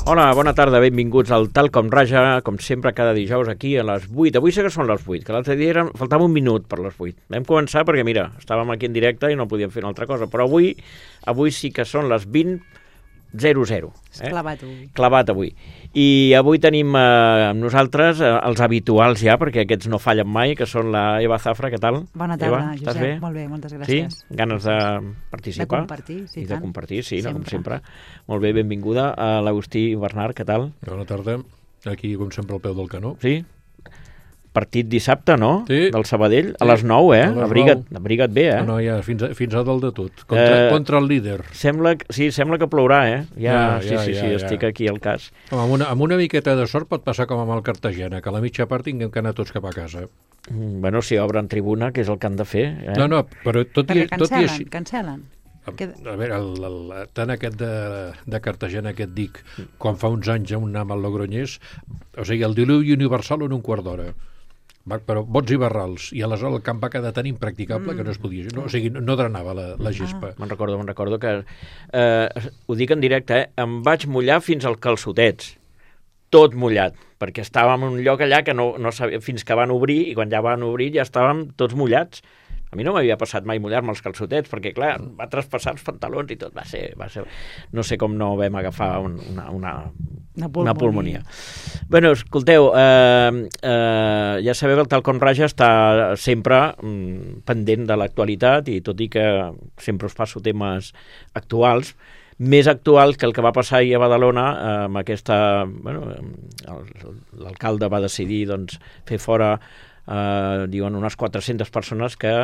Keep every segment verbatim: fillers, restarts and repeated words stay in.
Hola, bona tarda, benvinguts al Tal Com Raja, com sempre cada dijous aquí a les vuit. Avui sí que són les vuit, que l'altre dia eren... faltava un minut per les vuit. Vam començar perquè, mira, estàvem aquí en directe i no podíem fer una altra cosa, però avui avui sí que són les vint zero zero. Eh? Clavat avui. Clavat avui. I avui tenim eh, amb nosaltres eh, els habituals ja, perquè aquests no fallen mai, que són la Eva Zafra. Què tal? Bona tarda, Eva, Josep. Bé? Molt bé, moltes gràcies. Sí? Ganes de participar? De compartir, sí. I de compartir, sí, sempre. no, com sempre. Molt bé, benvinguda a l'Agustí Bernard. Què tal? Bona tarda. Aquí, com sempre, al peu del canó. Sí? Partit dissabte, no? Sí. Del Sabadell, sí. A les nou, eh? A les abriga't, nou. abriga't bé, eh? No, no, ja, fins a, fins a dalt de tot. Contra, Eh, contra el líder. Sembla, sí, sembla que plourà, eh? Ja, Ja, sí, ja, sí, ja, sí, ja. estic aquí al cas. Home, amb, una, amb una miqueta de sort pot passar com amb el Cartagena, que a la mitja part tinguem que anar tots cap a casa. Mm, Bueno, si obren tribuna, que és el que han de fer. Eh? No, no, però tot i, Perquè tot i cancel·len, així... cancel·len. A veure, el, el, tant aquest de, de Cartagena que et dic, quan fa uns anys on anàvem al Logroñés, o sigui, el diluvi universal en un quart d'hora. Va, però bots i barrals, i aleshores el camp va quedar tan impracticable mm. que no es podia... No, o sigui, no, no drenava la, la gespa. Me'n recordo, me'n recordo que... Eh, ho dic en directe, eh? Em vaig mullar fins als calçotets. Tot mullat, perquè estàvem en un lloc allà que no, no sabia, fins que van obrir, i quan ja van obrir ja estàvem tots mullats. A mi no m'havia passat mai mullar-me els calçotets, perquè, clar, va traspassar els pantalons i tot. Va ser... Va ser... No sé com no vam agafar un, una, una, una, pulmonia. una pulmonia. Bueno, escolteu, eh, eh, ja sabeu que el Tal Com Raja està sempre mm, pendent de l'actualitat, i tot i que sempre us passo temes actuals, més actual que el que va passar ahir a Badalona, eh, amb aquesta... Bueno, l'alcalde va decidir doncs, fer fora, eh, diuen, unes quatre-centes persones que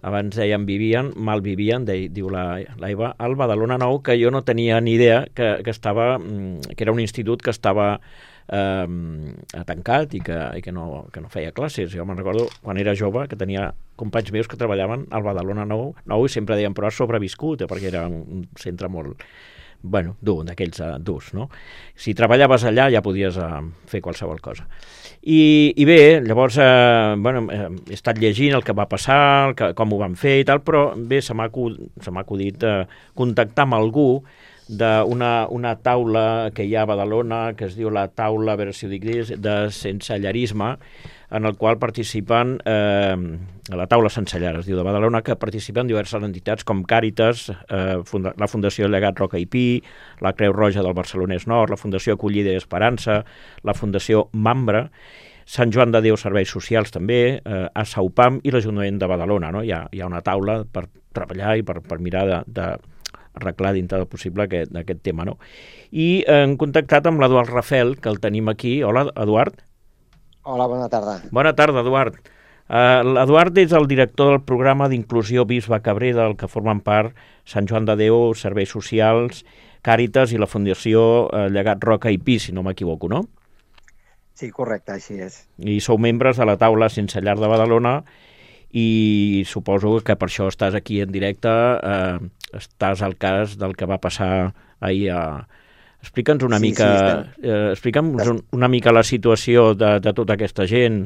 abans deien vivien, mal vivien, de, diu la, la Eva, al Badalona Nou, que jo no tenia ni idea que, que estava, que era un institut que estava eh, tancat i que, i que, no, que no feia classes. Jo me'n recordo quan era jove que tenia companys meus que treballaven al Badalona Nou, nou i sempre deien, però has sobreviscut, eh, perquè era un centre molt, bueno, dur, d'aquells uh, durs, no? Si treballaves allà ja podies uh, fer qualsevol cosa. I, i bé, llavors, eh, bueno, eh, he estat llegint el que va passar, el que, com ho van fer i tal, però bé, se m'ha acudit eh, contactar amb algú d'una una taula que hi ha a Badalona, que es diu la taula, a veure si ho dic, de sensellerisme, en el qual participen, eh, a la taula sensellar, es diu, de Badalona, que participen diverses entitats com Càritas, eh, funda, la Fundació Llegat Roca i Pi, la Creu Roja del Barcelonès Nord, la Fundació Acollida i Esperança, la Fundació Mambra, Sant Joan de Déu Serveis Socials també, eh, a Saupam i l'Ajuntament de Badalona. No? Hi ha, hi ha una taula per treballar i per, per mirar de, de arreglar dintre del possible aquest, aquest tema. No? I hem contactat amb l'Eduard Rafel, que el tenim aquí. Hola, Eduard. Hola, bona tarda. Bona tarda, Eduard. Uh, L'Eduard és el director del programa d'inclusió Bisbe Cabré, del que formen part Sant Joan de Déu, Serveis Socials, Càritas i la Fundació uh, Llegat Roca i Pi, si no m'equivoco, no? Sí, correcte, així és. I sou membres de la taula Sense Llar de Badalona i suposo que per això estàs aquí en directe, eh, estàs al cas del que va passar ahir a... Explica'ns una sí, mica sí, eh, explica'ns un, una mica la situació de, de tota aquesta gent.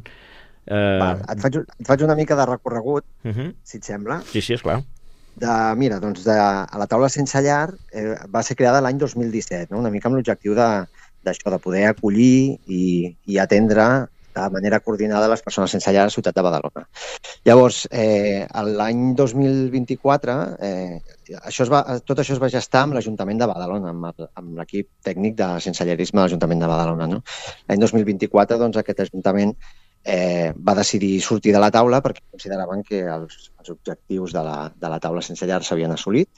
Eh... Va, et, faig, et faig una mica de recorregut, uh -huh. si et sembla. Sí, sí, esclar. De, mira, doncs de, a la taula Sense Llar eh, va ser creada l'any dos mil disset, no? Una mica amb l'objectiu d'això, de, de poder acollir i, i atendre de manera coordinada les persones sense llar a la ciutat de Badalona. Llavors, eh, l'any dos mil vint-i-quatre, eh, això es va, tot això es va gestar amb l'Ajuntament de Badalona, amb, amb l'equip tècnic de sensellarisme de l'Ajuntament de Badalona. No? L'any dos mil vint-i-quatre, doncs, aquest Ajuntament eh, va decidir sortir de la taula perquè consideraven que els, els objectius de la, de la taula sense llar s'havien assolit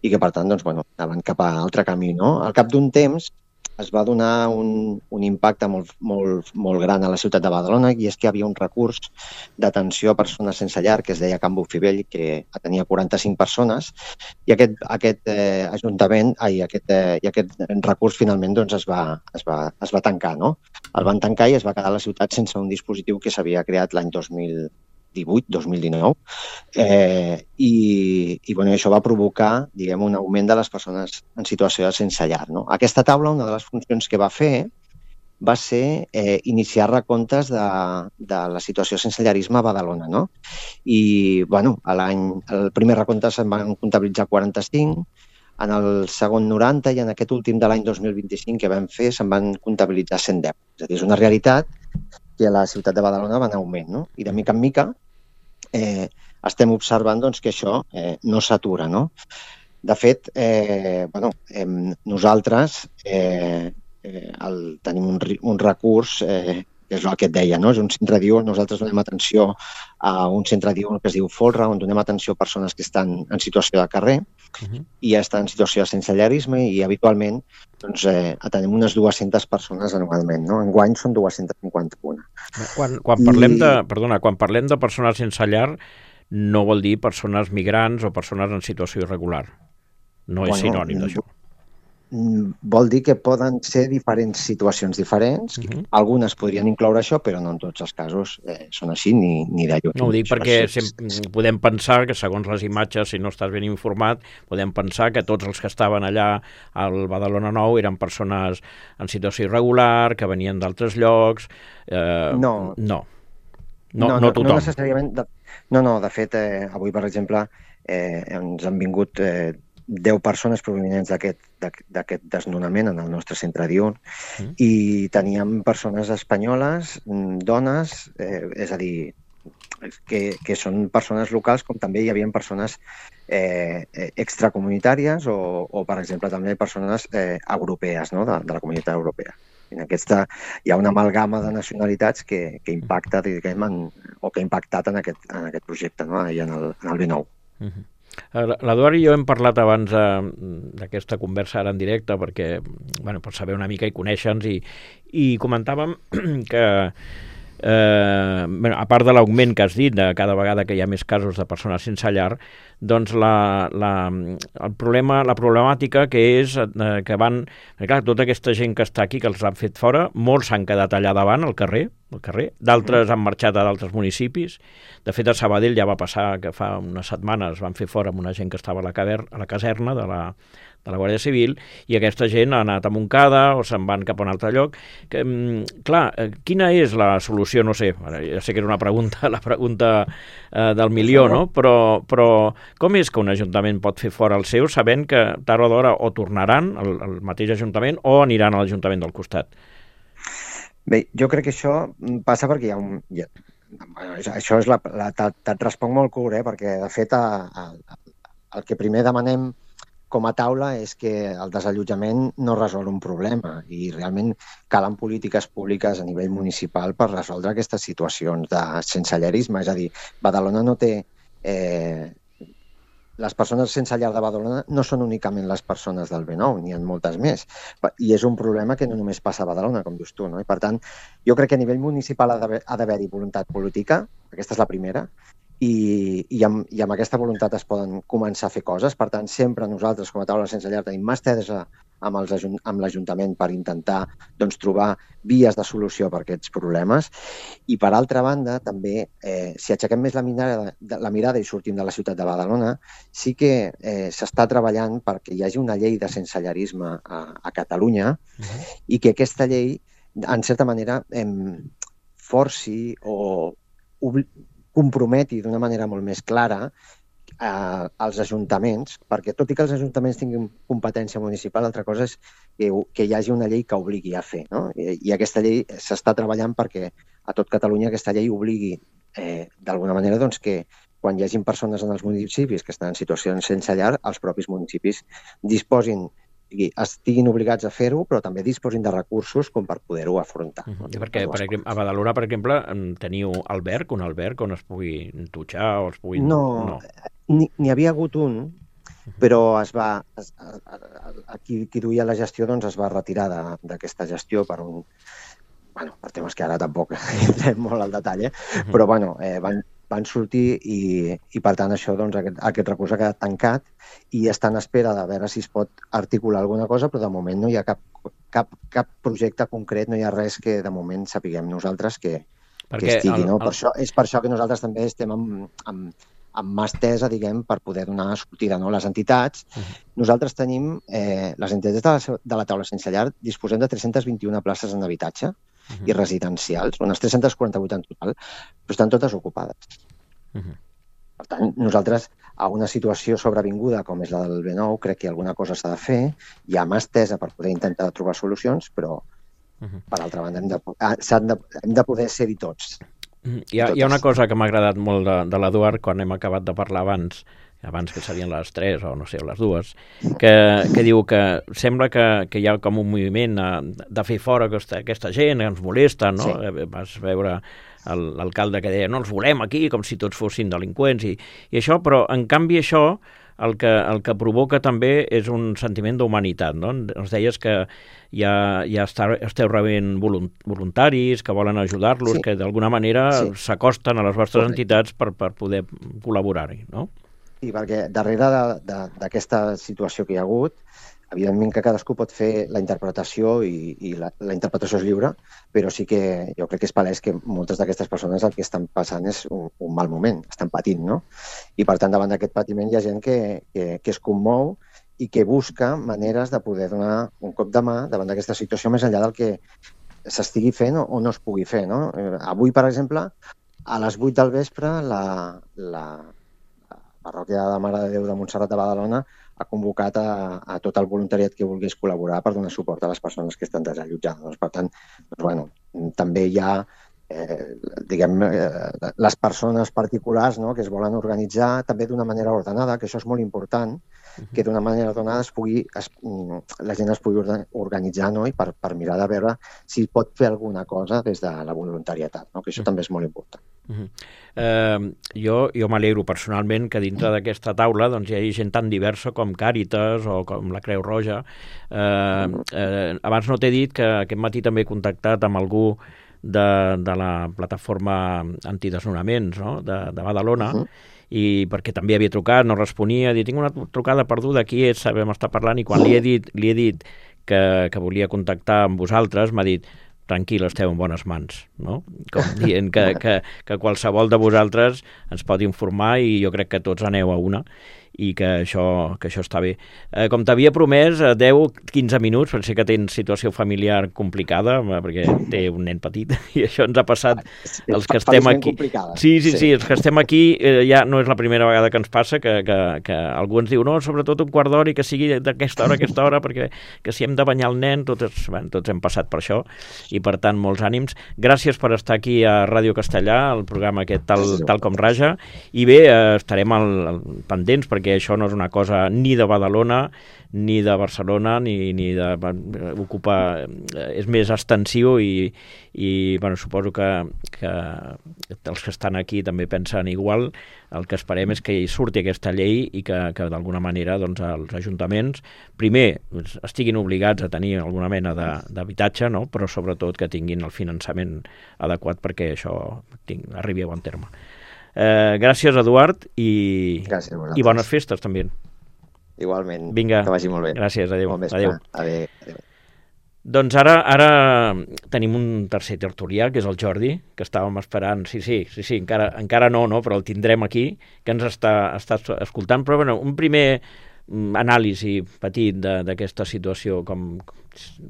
i que, per tant, doncs, bueno, anaven cap a altre camí. No? Al cap d'un temps, es va donar un, un impacte molt, molt, molt gran a la ciutat de Badalona, i és que hi havia un recurs d'atenció a persones sense llar que es deia Can Bufibell, que tenia quaranta-cinc persones, i aquest, aquest eh, ajuntament, ai, aquest, eh, i aquest recurs finalment doncs, es, va, es, va, es va tancar. No? El van tancar i es va quedar a la ciutat sense un dispositiu que s'havia creat l'any dos mil divuit, dos mil dinou, eh, i, i bueno, això va provocar, diguem, un augment de les persones en situació de sense llar. No? Aquesta taula, una de les funcions que va fer va ser eh, iniciar recomptes de, de la situació sense llarisme a Badalona. No? I, bueno, a l'any, el primer recompte se'n van comptabilitzar quaranta-cinc, en el segon noranta i en aquest últim de l'any dos mil vint-i-cinc que vam fer se'n van comptabilitzar cent deu. És a dir, és una realitat que a la ciutat de Badalona va en augment, no? I de mica en mica eh, estem observant doncs, que això eh, no s'atura, no? De fet, eh, bueno, eh, nosaltres eh, eh, el, tenim un, un recurs eh, que és el que et deia, no? És un centre diürn, nosaltres donem atenció a un centre diürn que es diu Folra, on donem atenció a persones que estan en situació de carrer uh -huh. i estan en situació de sensellarisme i habitualment doncs, eh, tenim unes dues-centes persones anualment, no? Enguany són dues-centes cinquanta-una. Quan, quan, parlem de, perdona, quan parlem de persones sense llar, no vol dir persones migrants o persones en situació irregular. No és bueno, sinònim d'això. Vol dir que poden ser diferents situacions diferents. Uh-huh. Algunes podrien incloure això, però no en tots els casos eh, són així, ni, ni de lluny. No ho dic perquè sempre podem pensar que, segons les imatges, si no estàs ben informat, podem pensar que tots els que estaven allà al Badalona Nou eren persones en situació irregular, que venien d'altres llocs... Eh, no. No. No, no, no, no tothom. No necessàriament. De... No, no, de fet, eh, avui, per exemple, eh, ens han vingut... Eh, deu persones provinents d'aquest desnonament en el nostre centre diürn mm. i teníem persones espanyoles, dones, eh, és a dir, que, que són persones locals, com també hi havia persones eh, extracomunitàries o, o, per exemple, també persones eh, europees, no? de, de la comunitat europea. En aquesta hi ha una amalgama de nacionalitats que, que impacta, diguem, en, o que ha impactat en aquest, en aquest projecte, no? I en el, en el B nou. Mm-hmm. L'Eduard i jo hem parlat abans eh, d'aquesta conversa ara en directe perquè, bueno, per saber una mica i conèixer-nos i, i comentàvem que eh, bueno, a part de l'augment que has dit de cada vegada que hi ha més casos de persones sense llar, doncs la, la, el problema, la problemàtica que és eh, que van, clar, tota aquesta gent que està aquí, que els han fet fora, molts s'han quedat allà davant, al carrer, al carrer, d'altres han marxat a d'altres municipis. De fet, a Sabadell ja va passar que fa unes setmanes van fer fora amb una gent que estava a la, caver, a la caserna de la, de la Guàrdia Civil i aquesta gent ha anat a Montcada o se'n van cap a un altre lloc. Que, clar, quina és la solució? No sé, ja sé que era una pregunta, la pregunta eh, del milió, no? Però, però com és que un ajuntament pot fer fora el seu sabent que tard o d'hora o tornaran al, al mateix ajuntament o aniran a l'Ajuntament del costat? Bé, jo crec que això passa perquè hi ha un... Hi ha, això és la... la te't responc molt curt, eh? Perquè, de fet, a, a, el que primer demanem com a taula és que el desallotjament no resol un problema i realment calen polítiques públiques a nivell municipal per resoldre aquestes situacions de sensellarisme. És a dir, Badalona no té... Eh, les persones sense llar de Badalona no són únicament les persones del B nou, n'hi ha moltes més. I és un problema que no només passa a Badalona, com dius tu, no? I per tant, jo crec que a nivell municipal ha d'haver-hi voluntat política, aquesta és la primera, i, i, amb, i amb aquesta voluntat es poden començar a fer coses. Per tant, sempre nosaltres, com a taula sense llar, tenim mà estesa amb, els, amb l'Ajuntament per intentar doncs, trobar vies de solució per aquests problemes. I, per altra banda, també, eh, si aixequem més la mirada, la mirada i sortim de la ciutat de Badalona, sí que eh, s'està treballant perquè hi hagi una llei de sensellarisme a, a Catalunya uh-huh. i que aquesta llei, en certa manera, eh, forci o comprometi d'una manera molt més clara eh, als ajuntaments, perquè tot i que els ajuntaments tinguin competència municipal, l'altra cosa és que, que hi hagi una llei que obligui a fer, no? I, i aquesta llei s'està treballant perquè a tot Catalunya aquesta llei obligui eh, d'alguna manera doncs, que quan hi hagin persones en els municipis que estan en situacions sense llar, els propis municipis disposin estiguin obligats a fer-ho, però també disposin de recursos com per poder-ho afrontar. Uh-huh. I perquè, per exemple, a Badalona, per exemple, teniu alberg, un alberg on es pugui dutxar o es pugui... No, no. N'hi havia hagut un, però es va, es, qui, qui duia la gestió doncs es va retirar d'aquesta gestió per un... Bueno, per temes que ara tampoc entrem molt al detall, eh? Uh-huh. Però bueno, eh, van, van sortir i, i per tant això, doncs, aquest, aquest recurs ha quedat tancat i està en espera de veure si es pot articular alguna cosa, però de moment no hi ha cap, cap, cap projecte concret, no hi ha res que de moment sapiguem nosaltres que, que estigui. El, no? Per el... això, és per això que nosaltres també estem amb, amb, amb mà estesa, diguem, per poder donar sortida, no? Les entitats, uh-huh. nosaltres tenim, eh, les entitats de la, de la taula sense llar, disposem de tres-centes vint-i-una places en habitatge, Uh-huh. i residencials, unes tres-centes quaranta-vuit en total, però estan totes ocupades. Uh-huh. Per tant, nosaltres, a una situació sobrevinguda com és la del B nou, crec que alguna cosa s'ha de fer, hi ha mà estesa per poder intentar trobar solucions, però, uh-huh. per altra banda, hem de, s'han de, hem de poder ser-hi tots. Hi ha, hi ha una cosa que m'ha agradat molt de, de l'Eduard quan hem acabat de parlar abans, abans que serien les tres o no sé, les dues, que, que diu que sembla que, que hi ha com un moviment de fer fora aquesta, aquesta gent que ens molesta, no? Sí. Vas veure l'alcalde que deia no els volem aquí, com si tots fossin delinqüents i, i això, però en canvi això el que, el que provoca també és un sentiment d'humanitat, no? Ens deies que ja, ja està, esteu rebent voluntaris que volen ajudar-los, sí. que d'alguna manera sí. s'acosten a les vostres Correcte. entitats per, per poder col·laborar-hi, no? Sí, perquè darrere d'aquesta situació que hi ha hagut, evidentment que cadascú pot fer la interpretació i, i la, la interpretació és lliure, però sí que jo crec que és palès que moltes d'aquestes persones el que estan passant és un, un mal moment, estan patint, no? I per tant, davant d'aquest patiment hi ha gent que, que, que es commou i que busca maneres de poder donar un cop de mà davant d'aquesta situació més enllà del que s'estigui fent o, o no es pugui fer, no? Avui, per exemple, a les vuit del vespre, la, la, la parròquia de Mare de Déu de Montserrat de Badalona ha convocat a, a tot el voluntariat que volgués col·laborar per donar suport a les persones que estan desallotjades. Per tant, doncs, bueno, també hi ha eh, diguem, eh, les persones particulars, no?, que es volen organitzar també d'una manera ordenada, que això és molt important, que d'una manera ordenada es pugui, es, la gent es pugui organitzar, no?, i per, per mirar de veure si pot fer alguna cosa des de la voluntarietat, no?, que això també és molt important. Uh-huh. eh, jo jo m'alegro personalment que dintre d'aquesta taula doncs, hi hagi gent tan diversa com Càritas o com la Creu Roja. Eh, eh, abans no t'he dit que aquest matí també he contactat amb algú de, de la plataforma antidesnonaments, no?, de, de Badalona, uh-huh. i perquè també havia trucat, no responia, he dit, tinc una trucada perduda, aquí és, sabem estar parlant, i quan li he dit, li he dit que, que volia contactar amb vosaltres, m'ha dit, tranquil, esteu en bones mans, no? Com dient que, que, que qualsevol de vosaltres ens pot informar i jo crec que tots aneu a una i que això, que això està bé. Eh, com t'havia promès, deu a quinze minuts, potser que tens situació familiar complicada, perquè té un nen petit, i això ens ha passat els que estem aquí. Sí, sí, sí, els que estem aquí eh, ja no és la primera vegada que ens passa, que, que, que algú ens diu, no, sobretot un quart d'hora i que sigui d'aquesta hora a aquesta hora, perquè que si hem de banyar el nen, tots, bueno, tots hem passat per això, i per tant, molts ànims. Gràcies per estar aquí a Ràdio Castellà, el programa aquest tal, tal com raja, i bé, eh, estarem al, al, pendents, perquè que això no és una cosa ni de Badalona, ni de Barcelona, ni, ni de... ocupa... és més extensiu i, i bueno, suposo que, que els que estan aquí també pensen igual. El que esperem és que hi surti aquesta llei i que, que d'alguna manera doncs, els ajuntaments, primer, estiguin obligats a tenir alguna mena d'habitatge, no?, però sobretot que tinguin el finançament adequat perquè això tinc, arribi a bon terme. Eh, gràcies, Eduard, i, gràcies i bones festes també. Igualment. Vinga. Que vagi molt bé. Gràcies, adéu. Bon adéu. Adéu. adéu. Doncs ara, ara tenim un tercer tertulià, que és el Jordi, que estàvem esperant. Sí, sí, sí, sí encara, encara no, no, però el tindrem aquí, que ens està, està escoltant. Però bueno, un primer anàlisi petit d'aquesta situació, com,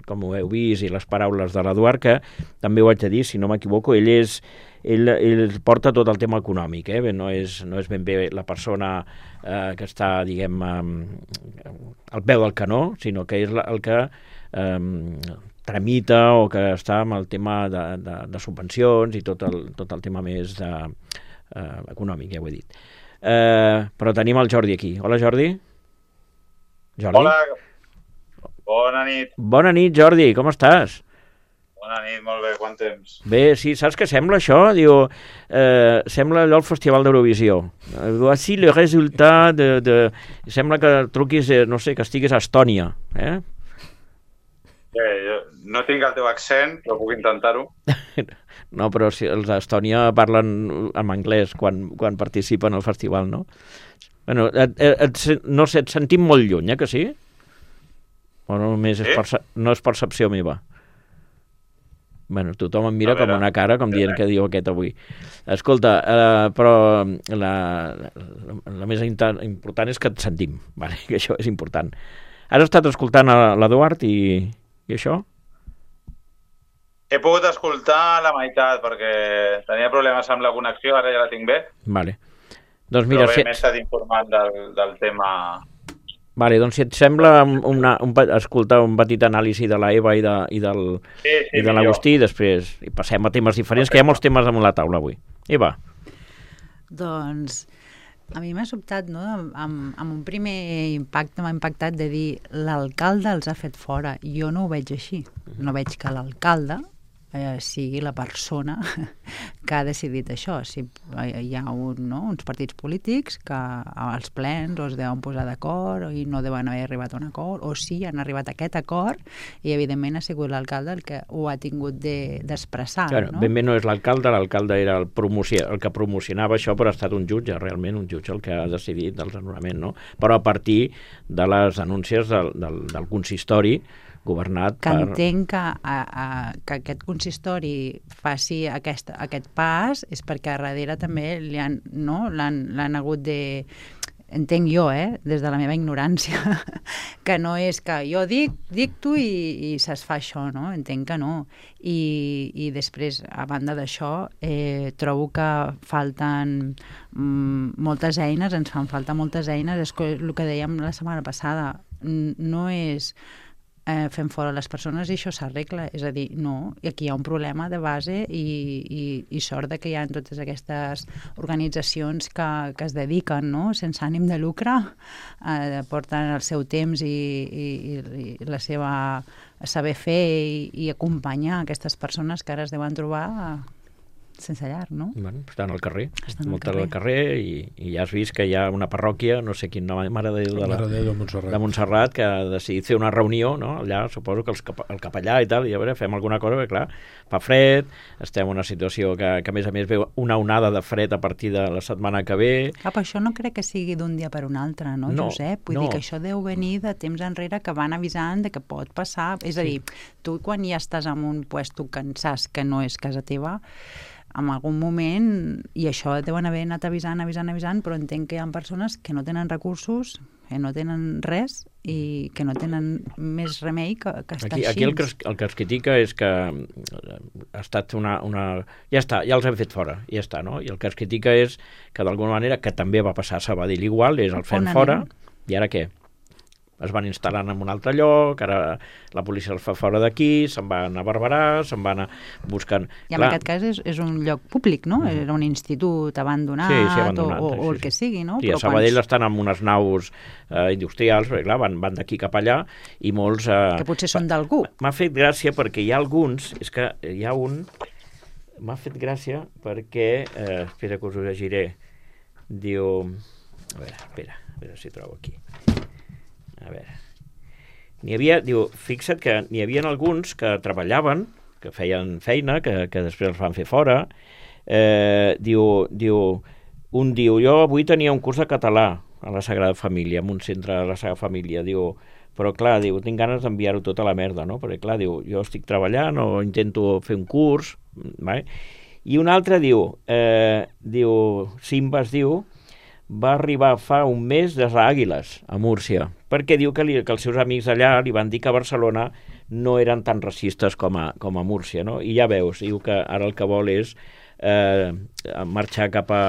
com ho heu vist, i les paraules de l'Eduard, que també ho haig de dir, si no m'equivoco, ell és Ell, ell porta tot el tema econòmic, eh? no, és, no és ben bé la persona eh, que està, diguem, eh, al peu del canó, sinó que és la, el que eh, tramita o que està amb el tema de, de, de subvencions i tot el, tot el tema més de, eh, econòmic, ja ho he dit. Eh, però tenim el Jordi aquí. Hola, Jordi. Jordi. Hola, bona nit. Bona nit, Jordi, com estàs? Bona nit, molt bé, quant temps? Bé, sí, saps què sembla això? Diu, eh, sembla allò el Festival d'Eurovisió. Voici le resultat de, de... Sembla que truquis, no sé, que estiguis a Estònia, eh? Bé, jo no tinc el teu accent, però puc intentar-ho. No, però si els d'Estònia parlen en anglès quan, quan participen al festival, no? Bueno, et, et, et, no sé, et sentim molt lluny, eh, que sí? O només sí? és, perce- no és percepció meva? Bueno, tothom em mira com una cara, com dient que diu aquest avui. Escolta, eh, però la, la, la més important és que et sentim, vale? Que això és important. Has estat escoltant l'Eduard i, i això? He pogut escoltar la meitat perquè tenia problemes amb la connexió, ara ja la tinc bé. Vale. Doncs mira, Però bé, si... m'he estat informant del, del tema... Vale, doncs si et sembla una, un, escoltar un petit anàlisi de la Eva i de, i del, Sí, sí, i de l'Agustí, i després i passem a temes diferents, que hi ha molts temes damunt la taula avui. Eva. Doncs a mi m'ha sobtat, no?, amb, amb un primer impacte m'ha impactat de dir l'alcalde els ha fet fora. Jo no ho veig així. No veig que l'alcalde eh, sigui la persona que ha decidit això. Si hi ha un, no, uns partits polítics que als plens o es deuen posar d'acord i no deuen haver arribat a un acord, o sí, han arribat a aquest acord i evidentment ha sigut l'alcalde el que ho ha tingut d'expressar. De, claro, no? Ben bé no és l'alcalde, l'alcalde era el, promoció, el que promocionava això, però ha estat un jutge, realment un jutge el que ha decidit del desnonament, no? Però a partir de les denúncies del, del, del consistori governat que per... entenc que, a, a, que aquest consistori faci aquest, aquest pas és perquè a darrere també li han, no, l'han, l'han hagut de... Entenc jo, eh, des de la meva ignorància, que no és que jo dic, dic tu i, i se'ls fa això, no? Entenc que no. I, i després, a banda d'això, eh, trobo que falten mm, moltes eines, ens fan falta moltes eines, és el que dèiem la setmana passada, no és... Eh, fem fora les persones i això s'arregla, és a dir, no, i aquí hi ha un problema de base i, i, i sort de que hi ha totes aquestes organitzacions que, que es dediquen, no?, sense ànim de lucre, eh, porten el seu temps i, i, i la seva saber fer i, i acompanyar aquestes persones que ara es deuen trobar sense llar, no? Bueno, estan al carrer, estan moltes al carrer i, i ja has vist que hi ha una parròquia, no sé quin nom, Mare de Déu de, la, Mare de Déu de Montserrat. de Montserrat, que ha decidit fer una reunió, no? Allà suposo que els cap, el capellà i tal, i a veure, fem alguna cosa, perquè clar, fa fred, estem en una situació que, que a més a més veu una onada de fred a partir de la setmana que ve. Cap, això no crec que sigui d'un dia per un altre, no, no Josep? Vull no. dir que això deu venir de temps enrere que van avisant de que pot passar. És a dir, tu quan ja estàs en un puesto que en saps que no és casa teva, en algun moment, i això deuen haver anat avisant, avisant, avisant, però entenc que hi ha persones que no tenen recursos, que no tenen res i que no tenen més remei que, que estar aquí, així. aquí el que, es, el que es critica és que ha estat una, una... Ja està, ja els hem fet fora, ja està, no? I el que es critica és que d'alguna manera, que també va passar a Sabadell igual, és el fem fora, i ara què? Es van instal·lant en un altre lloc, ara la policia els fa fora d'aquí, se'n van a Barberà, se'n van a buscant... I en Clar. aquest cas és, és un lloc públic, no? Mm. Era un institut abandonat, sí, sí, abandonat o, o, sí, o el sí. que sigui, no? Sí, Però a Sabadell quants... estan en unes naus eh, industrials, perquè clar, van, van d'aquí cap allà, i molts... Eh, que potser són d'algú. M'ha fet gràcia perquè hi ha alguns, és que hi ha un... M'ha fet gràcia perquè... Eh, espera que us ho llegiré. Diu... A veure, espera, a veure si trobo aquí. A veure... N'hi havia, diu, fixa't que n'hi havia alguns que treballaven, que feien feina, que, que després els van fer fora. Eh, diu, diu, un diu, jo avui tenia un curs de català a la Sagrada Família, en un centre de la Sagrada Família, diu, però clar, diu, tinc ganes d'enviar-ho tot a la merda, no? Perquè clar, diu, jo estic treballant o intento fer un curs, vale? I un altre diu, eh, diu, Simba es diu, va arribar fa un mes des d'Àguiles, a Múrcia, perquè diu que, li, que els seus amics allà li van dir que a Barcelona no eren tan racistes com a, com a Múrcia, no? I ja veus, diu que ara el que vol és eh, marxar cap a,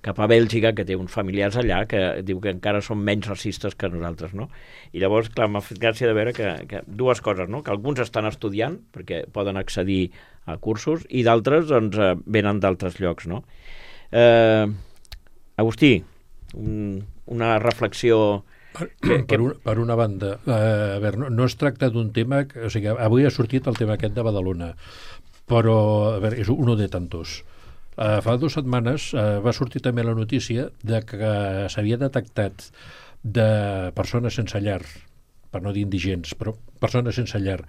cap a Bèlgica, que té uns familiars allà, que diu que encara són menys racistes que nosaltres, no? I llavors, clar, m'ha fet gràcia de veure que, que dues coses, no? Que alguns estan estudiant, perquè poden accedir a cursos, i d'altres, doncs, eh, venen d'altres llocs, no? Eh... Agustí, un, una reflexió... Per, que, per, un, per una banda, eh, a veure, no, no es tracta d'un tema... O sigui, avui ha sortit el tema aquest de Badalona, però a veure, és uno de tantos. Eh, fa dues setmanes eh, va sortir també la notícia de que s'havia detectat de persones sense llar, per no dir indigents, però persones sense llar,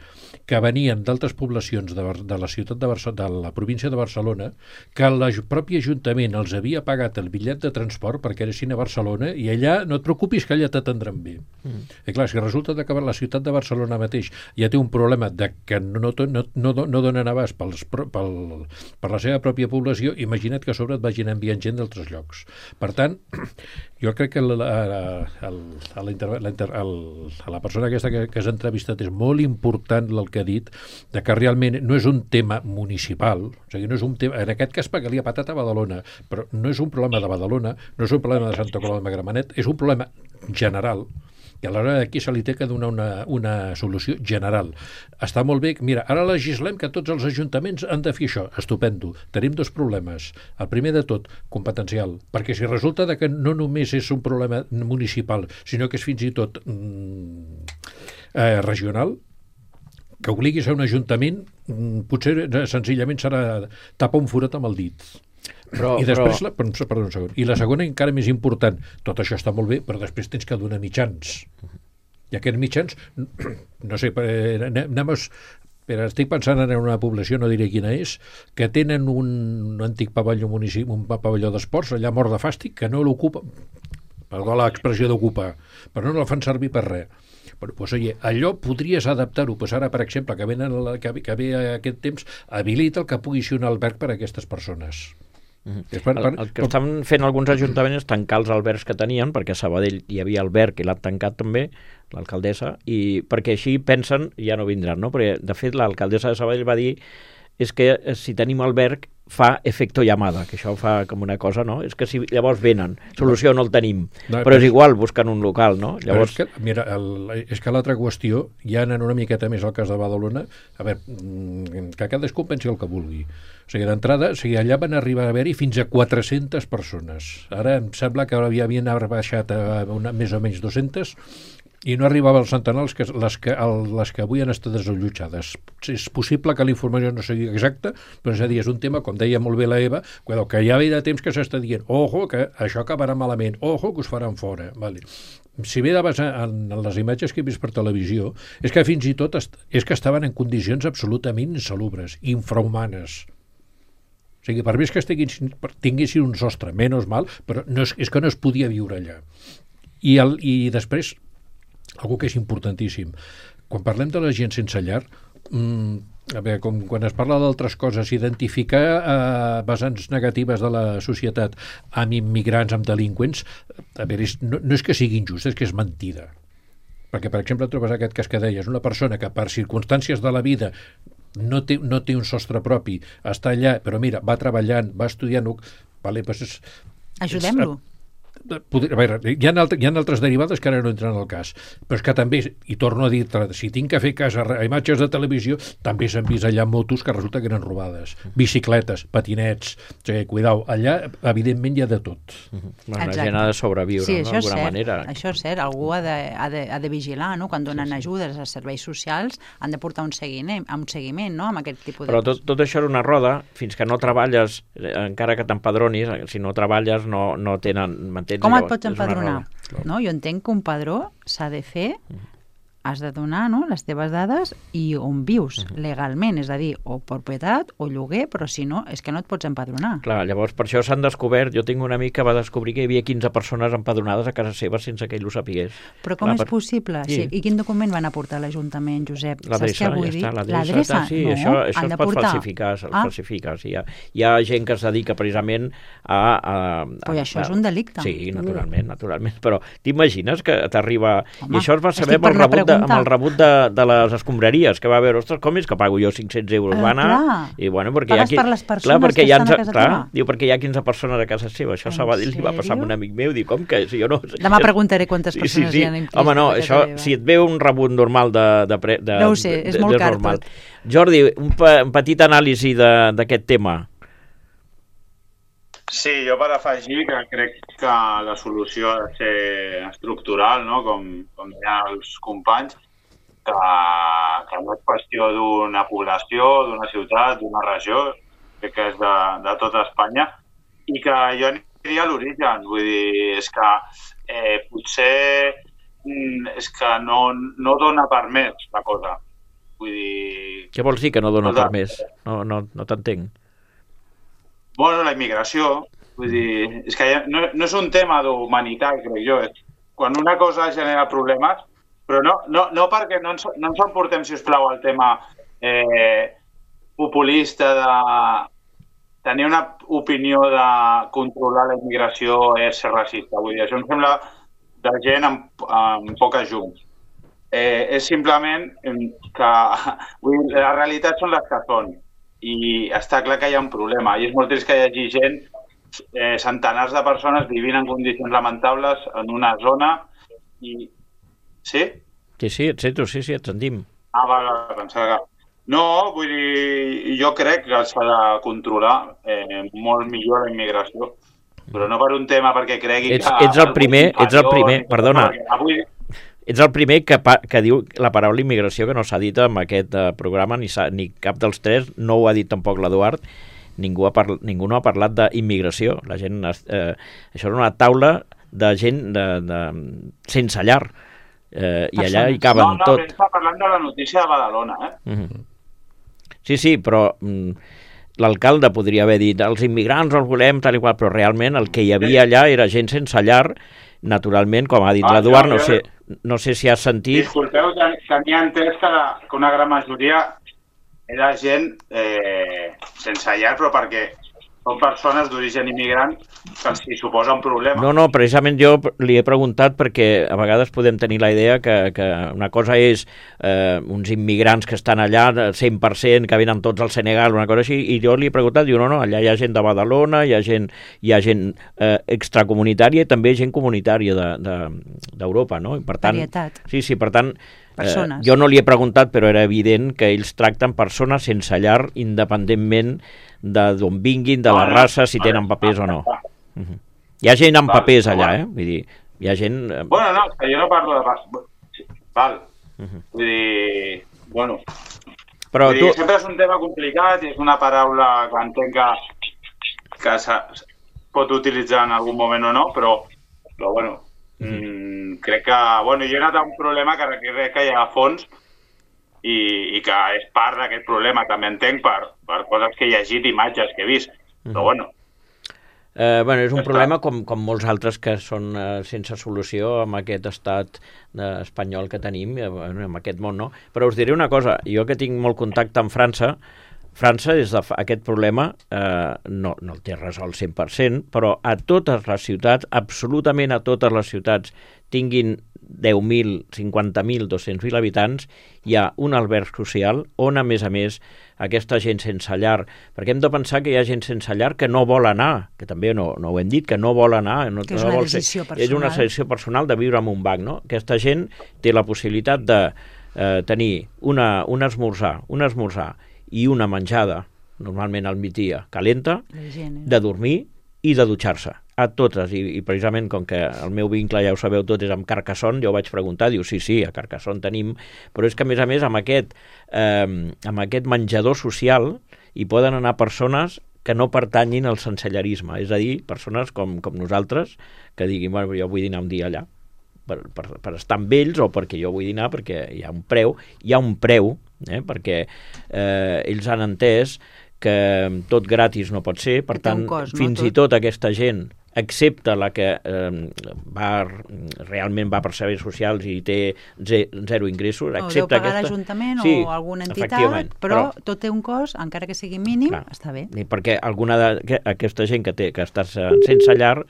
que venien d'altres poblacions de, de la ciutat de Barcelona, de la província de Barcelona, que el propi Ajuntament els havia pagat el bitllet de transport perquè anessin a Barcelona i allà no et preocupis que allà t'atendran bé. Mm. I clar, si resulta que la ciutat de Barcelona mateix ja té un problema de que no, no, no, no, no donen abast pels, pel, per la seva pròpia població, imagina't que a sobre et vagin enviant gent d'altres llocs. Per tant, jo crec que la, la, la, la, la, la, la persona aquesta que, que has entrevistat és molt important el que ha dit, de que realment no és un tema municipal, o sigui, no és un tema, en aquest cas perquè li ha patat a Badalona, però no és un problema de Badalona, no és un problema de Santa Coloma de Gramenet, és un problema general, i aleshores aquí se li té que donar una, una solució general. Està molt bé, mira, ara legislem que tots els ajuntaments han de fer això, estupendo. Tenim dos problemes. El primer de tot, competencial, perquè si resulta de que no només és un problema municipal, sinó que és fins i tot mm, eh, regional, que obliguis a un ajuntament, mm, potser eh, senzillament serà tapar un forat amb el dit. Però, I després, però... La, perdó un segon, i la segona encara més important, tot això està molt bé, però després tens que donar mitjans. I aquests mitjans, no sé, anem a... Però estic pensant en una població, no diré quina és, que tenen un antic pavelló municipi, un pavelló d'esports, allà mort de fàstic, que no l'ocupa, perdó l'expressió d'ocupar, però no la fan servir per res. Però, doncs, oye, allò podries adaptar-ho, doncs ara, per exemple, que, venen la, que, que ve aquest temps, habilita el que pugui ser un alberg per a aquestes persones. Mm-hmm. Per, per, el, el que com... estan fent alguns ajuntaments és tancar els albergs que tenien, perquè a Sabadell hi havia alberg i l'han tancat també, l'alcaldessa, i perquè així pensen, ja no vindran, no? Perquè de fet l'alcaldessa de Sabadell va dir és que si tenim alberg fa efecto llamada, que això fa com una cosa, no? És que si llavors venen, solució no el tenim, no, però és igual, busquen un local, no? Llavors... És que, mira, el, és que l'altra qüestió, ja anant una miqueta més al cas de Badalona, a veure, que cadascú pensi el que vulgui. O sigui, d'entrada, o sigui, allà van arribar a haver-hi fins a quatre-centes persones. Ara em sembla que havien baixat a una, més o menys dues-centes, i no arribava als centenars les que, les que, el, les que avui han estat desallotjades. És possible que la informació no sigui exacta, però és a dir, és un tema, com deia molt bé la Eva, que ja ve de temps que s'està dient, ojo, que això acabarà malament, ojo, que us faran fora. Vale. Si ve de basar en, en les imatges que he vist per televisió, és que fins i tot est, és que estaven en condicions absolutament insalubres, infrahumanes. O sigui, per més que estiguin, tinguessin un sostre, menys mal, però no és, és que no es podia viure allà. I, el, i després, algo que és importantíssim. Quan parlem de la gent sense llar, mmm, a veure, com quan es parla d'altres coses, identificar eh, vessants negatives de la societat amb immigrants, amb delinqüents, a veure, és, no, no és que sigui injust, és que és mentida. Perquè, per exemple, trobes aquest cas que deies, una persona que per circumstàncies de la vida no té, no té un sostre propi, està allà, però mira, va treballant, va estudiant, vale, doncs és, ajudem-lo. És, Poder, a veure, hi ha, altres, hi ha altres derivades que ara no entren al cas, però és que també, i torno a dir, si tinc que fer cas a, a imatges de televisió, també s'han vist allà motos que resulta que eren robades, bicicletes, patinets, o sigui, cuidao, allà evidentment hi ha de tot. Uh-huh. Bueno, la gent ha de sobreviure, sí, no? D'alguna manera. Això és cert, algú ha de, ha de, ha de vigilar, no? Quan donen sí, sí. ajudes als serveis socials han de portar un seguiment, un seguiment no? Amb aquest tipus de... Però tot, tot això era una roda, fins que no treballes, encara que t'empadronis, si no treballes no, no tenen... Com et pots empadronar? No? Jo entenc que un padró s'ha de fer, has de donar no? les teves dades i on vius uh-huh. legalment, és a dir, o propietat o lloguer, però si no, és que no et pots empadronar. Clar, llavors per això s'han descobert, jo tinc un amic que va descobrir que hi havia quinze persones empadronades a casa seva sense que ell ho sapigués. Però com Clar, és per... possible? Sí. Sí. I quin document van aportar a l'Ajuntament, Josep? L'adreça, ja està, l'adreça. Sí, no, això, això es pot portar... falsificar, es ah. falsifica. Sí, hi, ha, hi ha gent que es dedica precisament a... a, a però això a, és un delicte. Sí, naturalment, naturalment. Però t'imagines que t'arriba... I això es va saber amb el rebut de, amb el rebut de de les escombraries, que va haver, ostres, com és que pago jo cinc-cents euros? Va anar, i bueno, perquè hi ha, per les persones clar, perquè que hi ha, estan a casa clar, teva. Diu, perquè hi ha quinze persones a casa seva. Això a Sabadell li va passar amb un amic meu, diu, com que si jo no... Demà preguntaré quantes persones sí, sí, sí. hi ha. Home, no, això, si et ve un rebut normal de... de, pre, de no ho sé, és de, molt de car normal. tot. Jordi, un, pa, un petit anàlisi d'aquest tema. Sí, jo per afegir que crec que la solució ha de ser estructural, no? com, com deien els companys, que, que no és qüestió d'una població, d'una ciutat, d'una regió, crec que és de, de tota Espanya, i que jo aniria a l'origen, vull dir, és que eh, potser és que no, no dona per més la cosa. Vull dir... Què vols dir que no dona per més? No, no, no t'entenc. Bueno, la immigració, vull dir, és que no, no és un tema d'humanitat, crec jo. Quan una cosa genera problemes, però no, no, no perquè no ens, no ens emportem, si us plau, al tema eh, populista de tenir una opinió de controlar la immigració és ser racista. Vull dir, això em sembla de gent amb, amb poques llums. eh, és simplement que vull dir, la realitat són les que són i està clar que hi ha un problema i és molt trist que hi hagi gent, eh, centenars de persones vivint en condicions lamentables en una zona i... Sí? Sí, sí, et sento, sí, sí, et sentim. Ah, va, va, pensava que... No, vull dir, jo crec que s'ha de controlar eh, molt millor la immigració, però no per un tema perquè cregui ets, que... Ets el primer, ets el primer, perdona, avui... ets el primer que, pa, que diu la paraula immigració, que no s'ha dit en aquest uh, programa, ni, ni cap dels tres, no ho ha dit tampoc l'Eduard, ningú, ha parla, ningú no ha parlat d'immigració. La gent, eh, això és una taula de gent de, de, sense llar, eh, i allà hi caben no, no, tot. No, està parlant de la notícia de Badalona, eh? Mm-hmm. Sí, sí, però mm, l'alcalde podria haver dit els immigrants els volem tal i qual, però realment el que hi havia allà era gent sense llar, naturalment, com ha dit ah, l'Eduard, no, sé, no sé si has sentit... Disculpeu, tenia entès que, que una gran majoria era gent eh, sense llar, però perquè són persones d'origen immigrant que els hi suposa un problema. No, no, precisament jo li he preguntat perquè a vegades podem tenir la idea que, que una cosa és eh, uns immigrants que estan allà cent per cent, que venen tots al Senegal, una cosa així, i jo li he preguntat, diu, no, no, allà hi ha gent de Badalona, hi ha gent, hi ha gent eh, extracomunitària i també gent comunitària d'Europa, de, de, no? I per tant, varietat. Sí, sí, per tant, persones. Eh, jo no li he preguntat, però era evident que ells tracten persones sense llar independentment d'on vinguin, de la raça, si tenen papers o no. Uh-huh. Hi ha gent amb papers allà, eh? Vull dir, hi ha gent... Bueno, no, que jo no parlo de... Val. Uh-huh. Vull dir... Bueno... Però vull tu... dir, sempre és un tema complicat i és una paraula que entenc que, que pot utilitzar en algun moment o no, però, però bueno, uh-huh. mmm, crec que... Bueno, jo he anat a un problema que crec que hi ha a fons i, i que és part d'aquest problema, també entenc, per, per coses que he llegit, imatges que he vist, però bueno. Eh, bueno, és un problema com, com molts altres que són eh, sense solució amb aquest estat eh, espanyol que tenim, eh, en aquest món, no? Però us diré una cosa, jo que tinc molt contacte amb França, França, des d'aquest problema, eh, no, no el té resolt cent per cent, però a totes les ciutats, absolutament a totes les ciutats, tinguin deu mil, cinquanta mil, dos-cents mil habitants, hi ha un alberg social on, a més a més, aquesta gent sense llar, perquè hem de pensar que hi ha gent sense llar que no vol anar, que també no, no ho hem dit, que no vol anar, no, que és no una vol decisió ser, personal. És una decisió personal de viure en un banc, no? Aquesta gent té la possibilitat de eh, tenir una, un esmorzar, un esmorzar i una menjada, normalment al migdia, calenta, gent, eh? de dormir i de dutxar-se, a totes, I, i precisament com que el meu vincle, ja ho sabeu tot, és amb Carcassonne, jo vaig preguntar, diu, sí, sí, a Carcassonne tenim, però és que a més a més amb aquest, eh, amb aquest menjador social hi poden anar persones que no pertanyin al sensellarisme, és a dir, persones com, com nosaltres, que diguin, bueno, jo vull dinar un dia allà, per, per, per estar amb ells o perquè jo vull dinar, perquè hi ha un preu, hi ha un preu, eh, perquè eh, ells han entès que tot gratis no pot ser, per tant, cost, no? fins tot. I tot aquesta gent, excepte la que eh, va, realment va per serveis socials i té zero ingressos, no, excepte deu pagar aquesta... l'Ajuntament sí, o alguna entitat, però, però tot té un cost, encara que sigui mínim, clar, està bé. Perquè alguna d'aquesta gent que, té, que està sense llar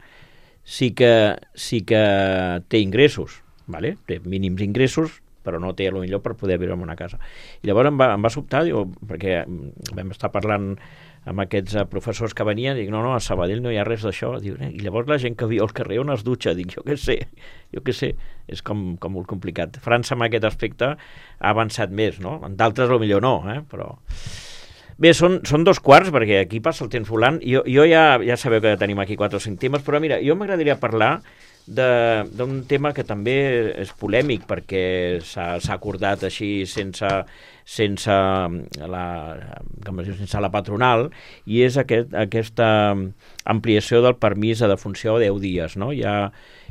sí que, sí que té ingressos, vale? Té mínims ingressos, però no té potser per poder viure en una casa. I llavors em va, em va sobtar, diu, perquè vam estar parlant amb aquests professors que venien, dic, no, no, a Sabadell no hi ha res d'això. Diu, eh? I llavors la gent que viu al carrer on es dutxa, dic, jo què sé, jo què sé, és com, com molt complicat. França en aquest aspecte ha avançat més, no? En d'altres potser no, eh? Però... Bé, són, són dos quarts, perquè aquí passa el temps volant. Jo, jo ja, ja sabeu que tenim aquí quatre o cinc temes, però mira, jo m'agradaria parlar d'un tema que també és polèmic perquè s'ha acordat així sense, sense, la, com es diu, sense la patronal, i és aquest, aquesta ampliació del permís de defunció a deu dies. No? Hi ha,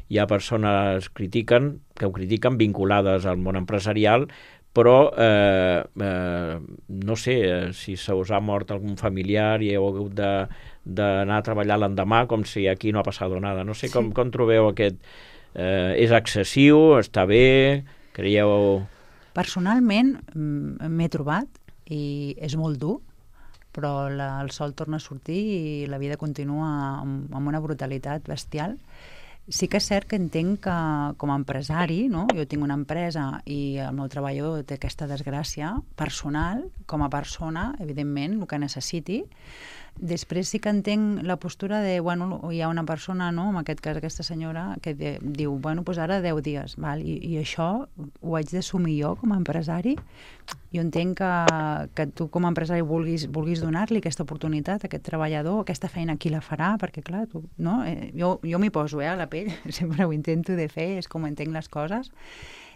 hi ha persones critiquen, que ho critiquen vinculades al món empresarial, però eh, eh, no sé eh, si se us ha mort algun familiar i heu hagut de d'anar a treballar l'endemà com si aquí no ha passat nada. No sé com, sí. com trobeu aquest... Eh, és excessiu? Està bé? Creieu... Personalment m'he trobat i és molt dur, però la, el sol torna a sortir i la vida continua amb, amb una brutalitat bestial. Sí que és cert que entenc que com a empresari, no? Jo tinc una empresa i el meu treballador té aquesta desgràcia personal, com a persona, evidentment, el que necessiti. Després sí que entenc la postura de, bueno, hi ha una persona, no? En aquest cas aquesta senyora, que de, diu, bueno, doncs ara deu dies, val? I, i això ho haig d'assumir jo com a empresari. Jo entenc que, que tu com a empresari vulguis, vulguis donar-li aquesta oportunitat a aquest treballador, aquesta feina qui la farà, perquè clar, tu, no? Eh, jo, jo m'hi poso eh, a la pell, sempre ho intento de fer, és com entenc les coses,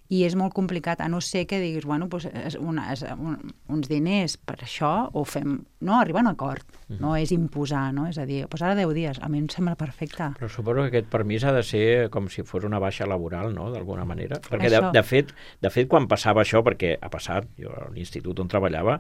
i és molt complicat, a no ser que diguis, bueno, doncs, és una, és un, uns diners per això, o fem, no, arribar a un acord, mm-hmm. no és imposar, no? És a dir, doncs ara deu dies, a mi em sembla perfecte. Però suposo que aquest permís ha de ser com si fos una baixa laboral, no?, d'alguna manera. Perquè, de, Això. de, fet, de fet, quan passava això, perquè ha passat, jo a l'institut on treballava,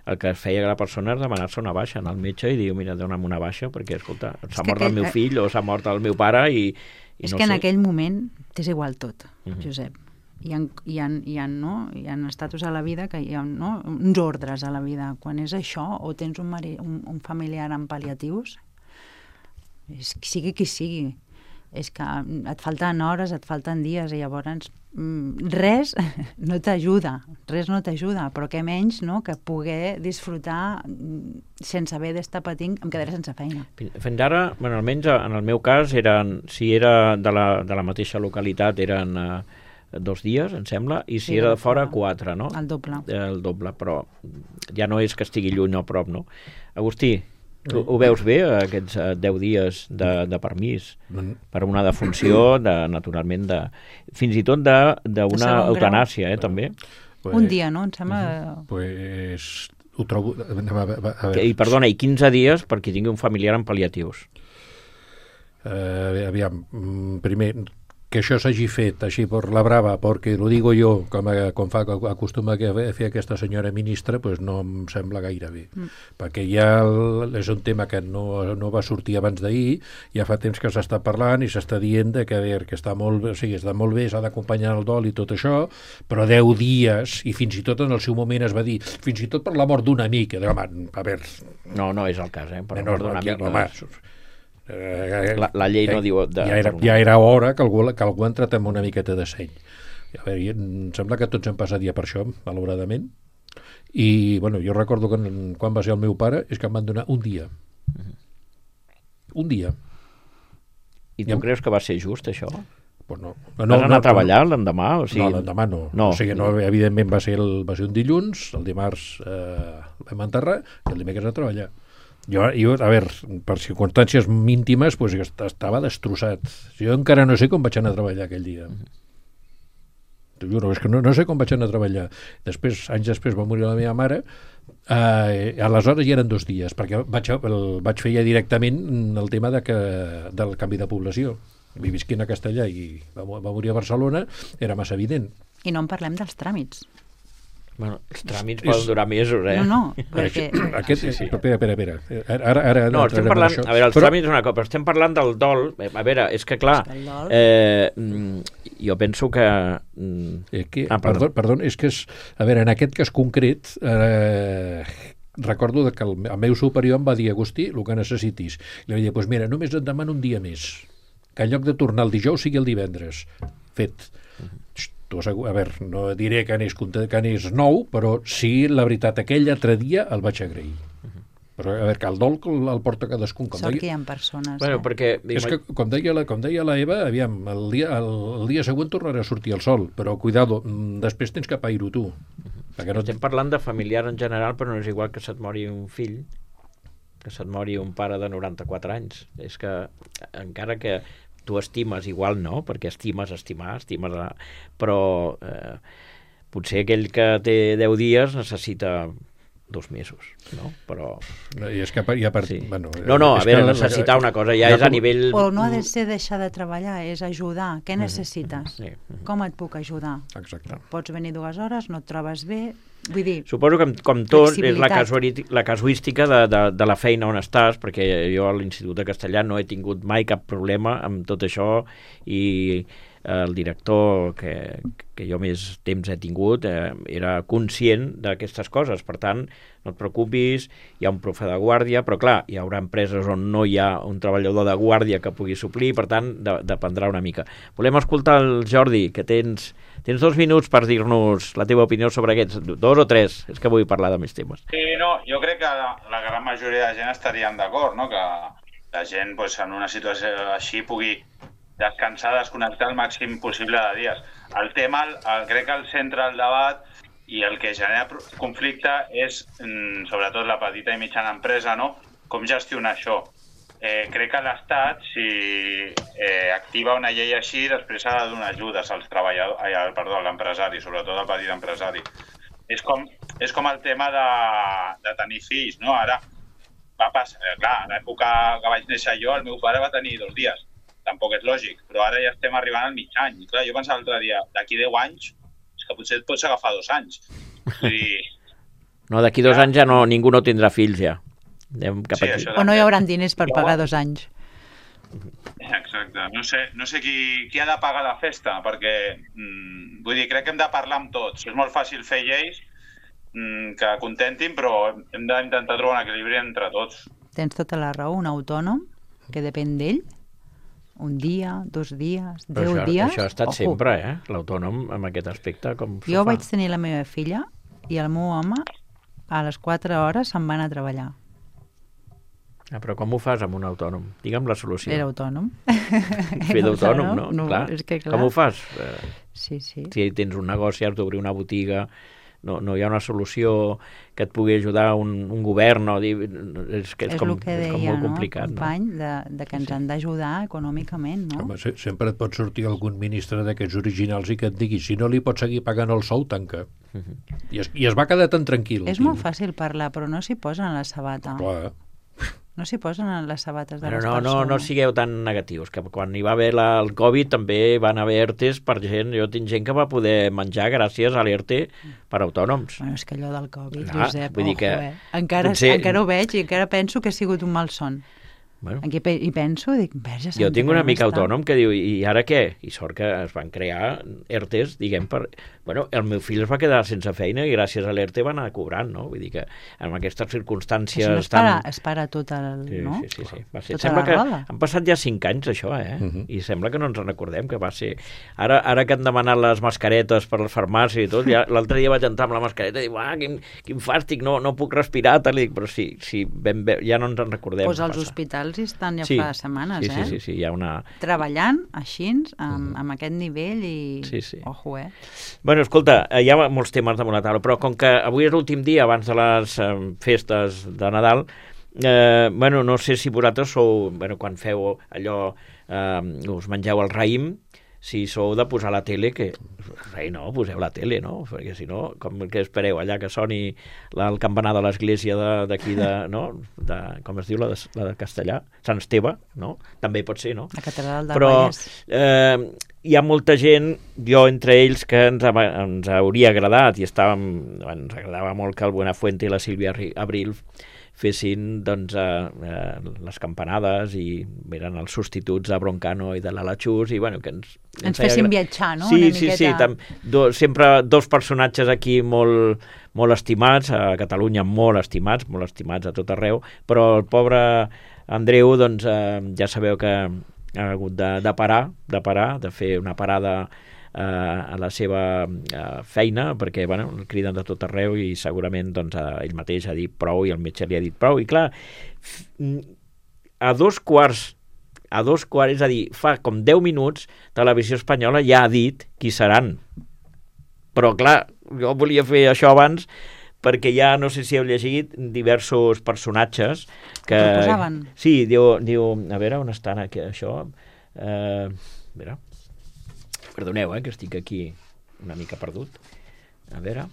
el que feia la persona és demanar-se una baixa, anar al metge i dir, mira, dona'm una baixa, perquè, escolta, s'ha mort aquell... el meu fill o s'ha mort el meu pare i, i és no que en sé. aquell moment t'és igual tot, Mm-hmm. Josep. Hi ha, hi, ha, hi, ha, no? hi ha estatus a la vida, que hi ha no? uns ordres a la vida. Quan és això, o tens un, mari, un, un familiar amb pal·liatius, és, sigui qui sigui, és que et falten hores, et falten dies, i llavors mm, res no t'ajuda, res no t'ajuda, però què menys no? Que poder disfrutar sense haver d'estar patint, em quedaré sense feina. Fins ara, bueno, almenys en el meu cas, eren, si era de la, de la mateixa localitat, eren eh, dos dies, em sembla, i si Sí, era de de fora, fora. quatre, no? El doble. El doble, però ja no és que estigui lluny o a prop, no? Agustí, tu ho veus bé, aquests eh, deu dies de, de permís per una defunció, de, naturalment, de, fins i tot de- De d'una segon grau. eutanàsia, eh, també. Un dia, no? Em sembla... Pues ho trobo... A veure, a veure, I, perdona, i quinze dies per qui tingui un familiar amb pal·liatius. Eh, aviam, mm, primer, que això s'hagi fet així per la brava, perquè ho digo jo, com, a, com fa, acostuma a fer aquesta senyora ministra, pues no em sembla gaire bé. Mm. Perquè ja el, és un tema que no, no va sortir abans d'ahir, ja fa temps que s'està parlant i s'està dient de que, a veure, que està molt bé, o sigui, està molt bé, s'ha d'acompanyar el dol i tot això, però deu dies, i fins i tot en el seu moment es va dir, fins i tot per la mort d'un amic, que, home, a veure... No, no és el cas, eh? Per no, no, no, amic, ja, home, la, la llei no eh, diu... De, ja, era, ja era hora que algú, que algú ha entrat amb una miqueta de seny. A veure, em sembla que tots hem passat ja per això, malauradament, i bueno, jo recordo que quan va ser el meu pare és que em van donar un dia. Un dia. I tu Ja- creus que va ser just, això? Pues no. No, Vas anar a treballar l'endemà? O sigui... No, l'endemà no. no. O sigui, no, evidentment va ser, el, va ser un dilluns, el dimarts eh, vam enterrar i el dimecres a treballar. Jo, jo, a veure, per circumstàncies íntimes, pues, estava destrossat. Jo encara no sé com vaig anar a treballar aquell dia. T'ho juro, és que no, no sé com vaig anar a treballar. Després, anys després va morir la meva mare, eh, aleshores ja eren dos dies, perquè vaig, el, vaig fer ja directament el tema de que, del canvi de població. Visquint a Castellà i va, va morir a Barcelona, era massa evident. I no en parlem dels tràmits. Bueno, els tràmits poden durar mesos, eh? No, no, perquè... Aquest, Sí, sí. Espera, espera, espera. Ara, ara, No, estem parlant, a veure, els Però- tràmits és una cosa, però estem parlant del dol. A veure, és que clar, És que el dol- eh, mm, jo penso que... mm, Eh, que, Ah, perdó, perdó. perdó, és que és... A veure, en aquest cas concret, eh, recordo que el, el meu superior em va dir, Agustí, el que necessitis. I li vaig dir, doncs mira, només et demano un dia més. Que en lloc de tornar el dijous sigui el divendres. Fet. Tu, a veure, no diré que anés, conte- que anés nou, però sí, la veritat, aquell altre dia el vaig agrair. Però, a veure, que el dol el, el porta cadascun. Com Sort deia, que hi ha persones. Bueno, eh? perquè... és que, com deia, la, com deia la Eva, aviam, el dia, el, el dia següent tornarà a sortir el sol, però cuidado, mm, després tens que pair-ho tu. Perquè no Estem parlant de familiar en general, però no és igual que se't mori un fill, que se't mori un pare de noranta-quatre anys. És que, encara que tu estimes, igual no, perquè estimes estimar, estimes... A... Però eh, potser aquell que té deu dies necessita dos mesos, no? Però... I és que hi ha part... Sí. Bueno, No, no, a és veure, que la- necessitar una cosa ja la- és a nivell... O no ha de ser deixar de treballar, és ajudar. Què necessites? Sí. Com et puc ajudar? Exacte. Pots venir dues hores, no et trobes bé... Vull dir, Suposo que, com tot, és la, Flexibilitat. casuali- la casuística de, de, de la feina on estàs, perquè jo a l'Institut de Castellà no he tingut mai cap problema amb tot això i el director que, que jo més temps he tingut eh, era conscient d'aquestes coses. Per tant, no et preocupis, hi ha un profe de guàrdia, però clar, hi haurà empreses on no hi ha un treballador de guàrdia que pugui suplir, per tant, de, dependrà una mica. Volem escoltar el Jordi, que tens, tens dos minuts per dir-nos la teva opinió sobre aquests, dos o tres, és que vull parlar de més temes. Sí, no, jo crec que la, la gran majoria de gent estaríem d'acord, no?, que la gent pues, en una situació així pugui descansar, desconnectar el màxim possible de dies. El tema, el, el, crec que el centre del debat i el que genera conflicte és, sobretot, la petita i mitjana empresa, no?, com gestionar això. Eh, crec que l'Estat, si eh, activa una llei així, després ha de donar ajudes als treballadors, ai, perdó, a l'empresari, sobretot al petit empresari. És com, és com el tema de, de tenir fills, no? Ara va passar, clar, a l'època que vaig néixer jo, el meu pare va tenir dos dies. Tampoc és lògic, però ara ja estem arribant al mig any. I clar, jo pensava l'altre dia, d'aquí deu anys, és que potser et pots agafar dos anys. Vull dir... No, d'aquí dos ja. anys ja no, ningú no tindrà fills, ja. Anem cap sí, aquí. O no hi haurà diners per pagar dos anys. Exacte. No sé, no sé qui, qui ha de pagar la festa, perquè, mm, vull dir, crec que hem de parlar amb tots. És molt fàcil fer lleis mm, que contentin, però hem d'intentar trobar un equilibri entre tots. Tens tota la raó, un autònom que depèn d'ell, un dia, dos dies, deu això, dies... Això ha estat Ojo. sempre, eh? L'autònom, amb aquest aspecte, com s'ho Jo fa. vaig tenir la meva filla i el meu home a les quatre hores se'n va anar a treballar. Ah, però com ho fas amb un autònom? Digue'm la solució. Era autònom. Fer d'autònom, no? no clar. És que, clar. Com ho fas? Eh, Sí, sí. si tens un negoci, has d'obrir una botiga, no, no hi ha una solució que et pugui ajudar un, un govern, no? És, que és, És com, el que és com deia, molt no, complicat. el company, no? de, de que ens Sí. han d'ajudar econòmicament, no? Home, se- sempre et pot sortir algun ministre d'aquests originals i que et digui, si no li pots seguir pagant el sou, tanca. I es, i es va quedar tan tranquil. És molt fàcil parlar, però no s'hi posen la sabata. Clar. No s'hi posen les sabates de Però les no, no, persones. no sigueu tan negatius, que quan hi va haver la, el Covid també van haver E R Tes per gent, jo tinc gent que va poder menjar gràcies a l'E R Te per autònoms. Bueno, és que allò del Covid, Ah, Josep, vull dir ojo, que eh? Encara, potser- encara ho veig i encara penso que ha sigut un malson. Bueno, Aquí pe I penso, dic, verge santa, jo tinc un com amic està? autònom que diu, i ara què? I sort que es van crear E R Tes, diguem, per... Bueno, el meu fill es va quedar sense feina i gràcies a l'E R Te va anar cobrant, no? Vull dir que en aquestes circumstàncies... Això no es tan... para, es para tot el... Sí, no? sí, sí, sí. Va ser. Tota Sembla la que roda. han passat ja cinc anys, això, eh? Uh -huh. I sembla que no ens en recordem, que va ser... Ara, ara que han demanat les mascaretes per les farmàcies i tot, ja, l'altre dia vaig entrar amb la mascareta i dic, ah, quin, quin fàstic, no, no puc respirar, tal, i dic, però sí, sí ben bé, ja no ens en recordem. Pues als passa. hospitals hi estan ja Sí, fa setmanes, sí, eh? Sí, sí, sí, hi ha una... Treballant així, amb, amb aquest nivell i... Sí, sí. Ojo, eh? Bueno, escolta, hi ha molts temes damunt la taula, però com que avui és l'últim dia abans de les eh, festes de Nadal, eh, bueno, no sé si vosaltres sou, bueno, quan feu allò, eh, us mengeu el raïm, si sou de posar la tele, que ei, no, poseu la tele, no? Perquè si no, com que espereu allà que soni la, el campanar de l'església d'aquí de, de, no? De, com es diu, la de, la de Castellà? Sant Esteve, no? També pot ser, no? La catedral del Però Vallès. eh, hi ha molta gent, jo entre ells, que ens, ha- ens hauria agradat, i estàvem, ens agradava molt que el Buenafuente i la Sílvia Ri- Abril fessin doncs, eh, eh, les campanades i eren els substituts de Broncano i de l'Ala Chus i bueno, que ens, Ens feia fessin gra- viatjar, no? Sí, Una sí, miqueta... sí, tam, do, sempre dos personatges aquí molt, molt estimats, a Catalunya molt estimats, molt estimats a tot arreu, però el pobre Andreu, doncs, eh, ja sabeu que ha hagut de, de parar, de parar, de fer una parada eh, a la seva eh, feina, perquè bueno, el criden de tot arreu i segurament doncs, eh, ell mateix ha dit prou i el metge li ha dit prou. I clar, f- a dos quarts a dos quarts, és a dir, fa com deu minuts, Televisió Espanyola ja ha dit qui seran. Però, clar, jo volia fer això abans perquè ja, no sé si heu llegit, diversos personatges que... Que el posaven. Sí, diu, diu... A veure, on estan aquí, això? Eh, a veure... Perdoneu, eh, que estic aquí una mica perdut. A veure...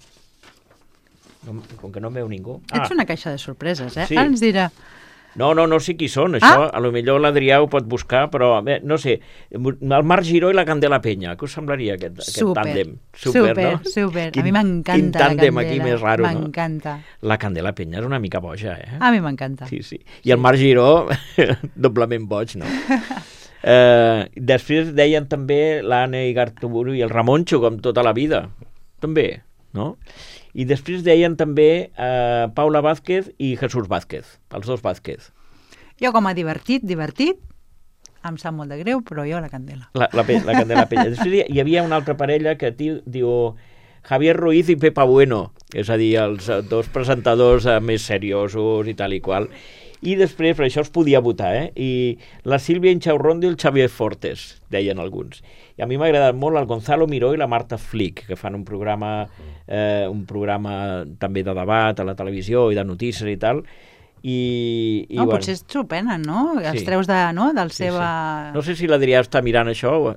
No, com que no em veu ningú... Ets una caixa de sorpreses, eh? Sí. Ara ens dirà... No, no, no sé qui són, això, Ah! a lo millor l'Adrià ho pot buscar, però, bé, no sé, el Marc Giró i la Candela Penya, què us semblaria aquest, aquest Super, tàndem? super, no? super. Quin- A mi m'encanta quin la tàndem Candela. aquí més raro, no? M'encanta. La Candela Penya és una mica boja, eh? A mi m'encanta. Sí, sí. I el Marc Giró, doblement boig, no? Eh, després deien també l'Anna Igarteburu i el Ramoncho, com tota la vida. També, no? I després deien també eh, Paula Vázquez i Jesús Vázquez, els dos Vázquez. Jo com a divertit, divertit, em sap molt de greu, però jo la Candela. La, la, la Candela Peña. Després hi havia una altra parella que diu, diu Javier Ruiz i Pepa Bueno, és a dir, els dos presentadors eh, més seriosos i tal i qual. I després, per això es podia votar, eh? I la Sílvia Inchaurrondo i el Xavier Fortes, deien alguns. I a mi m'ha agradat molt el Gonzalo Miró i la Marta Flick, que fan un programa, eh, un programa també de debat a la televisió i de notícies i tal. I, i No, bueno, potser s'ho prenen, no? Els Sí. treus de, no? del sí, seva... sí. No sé si l'Adrià està mirant això. O...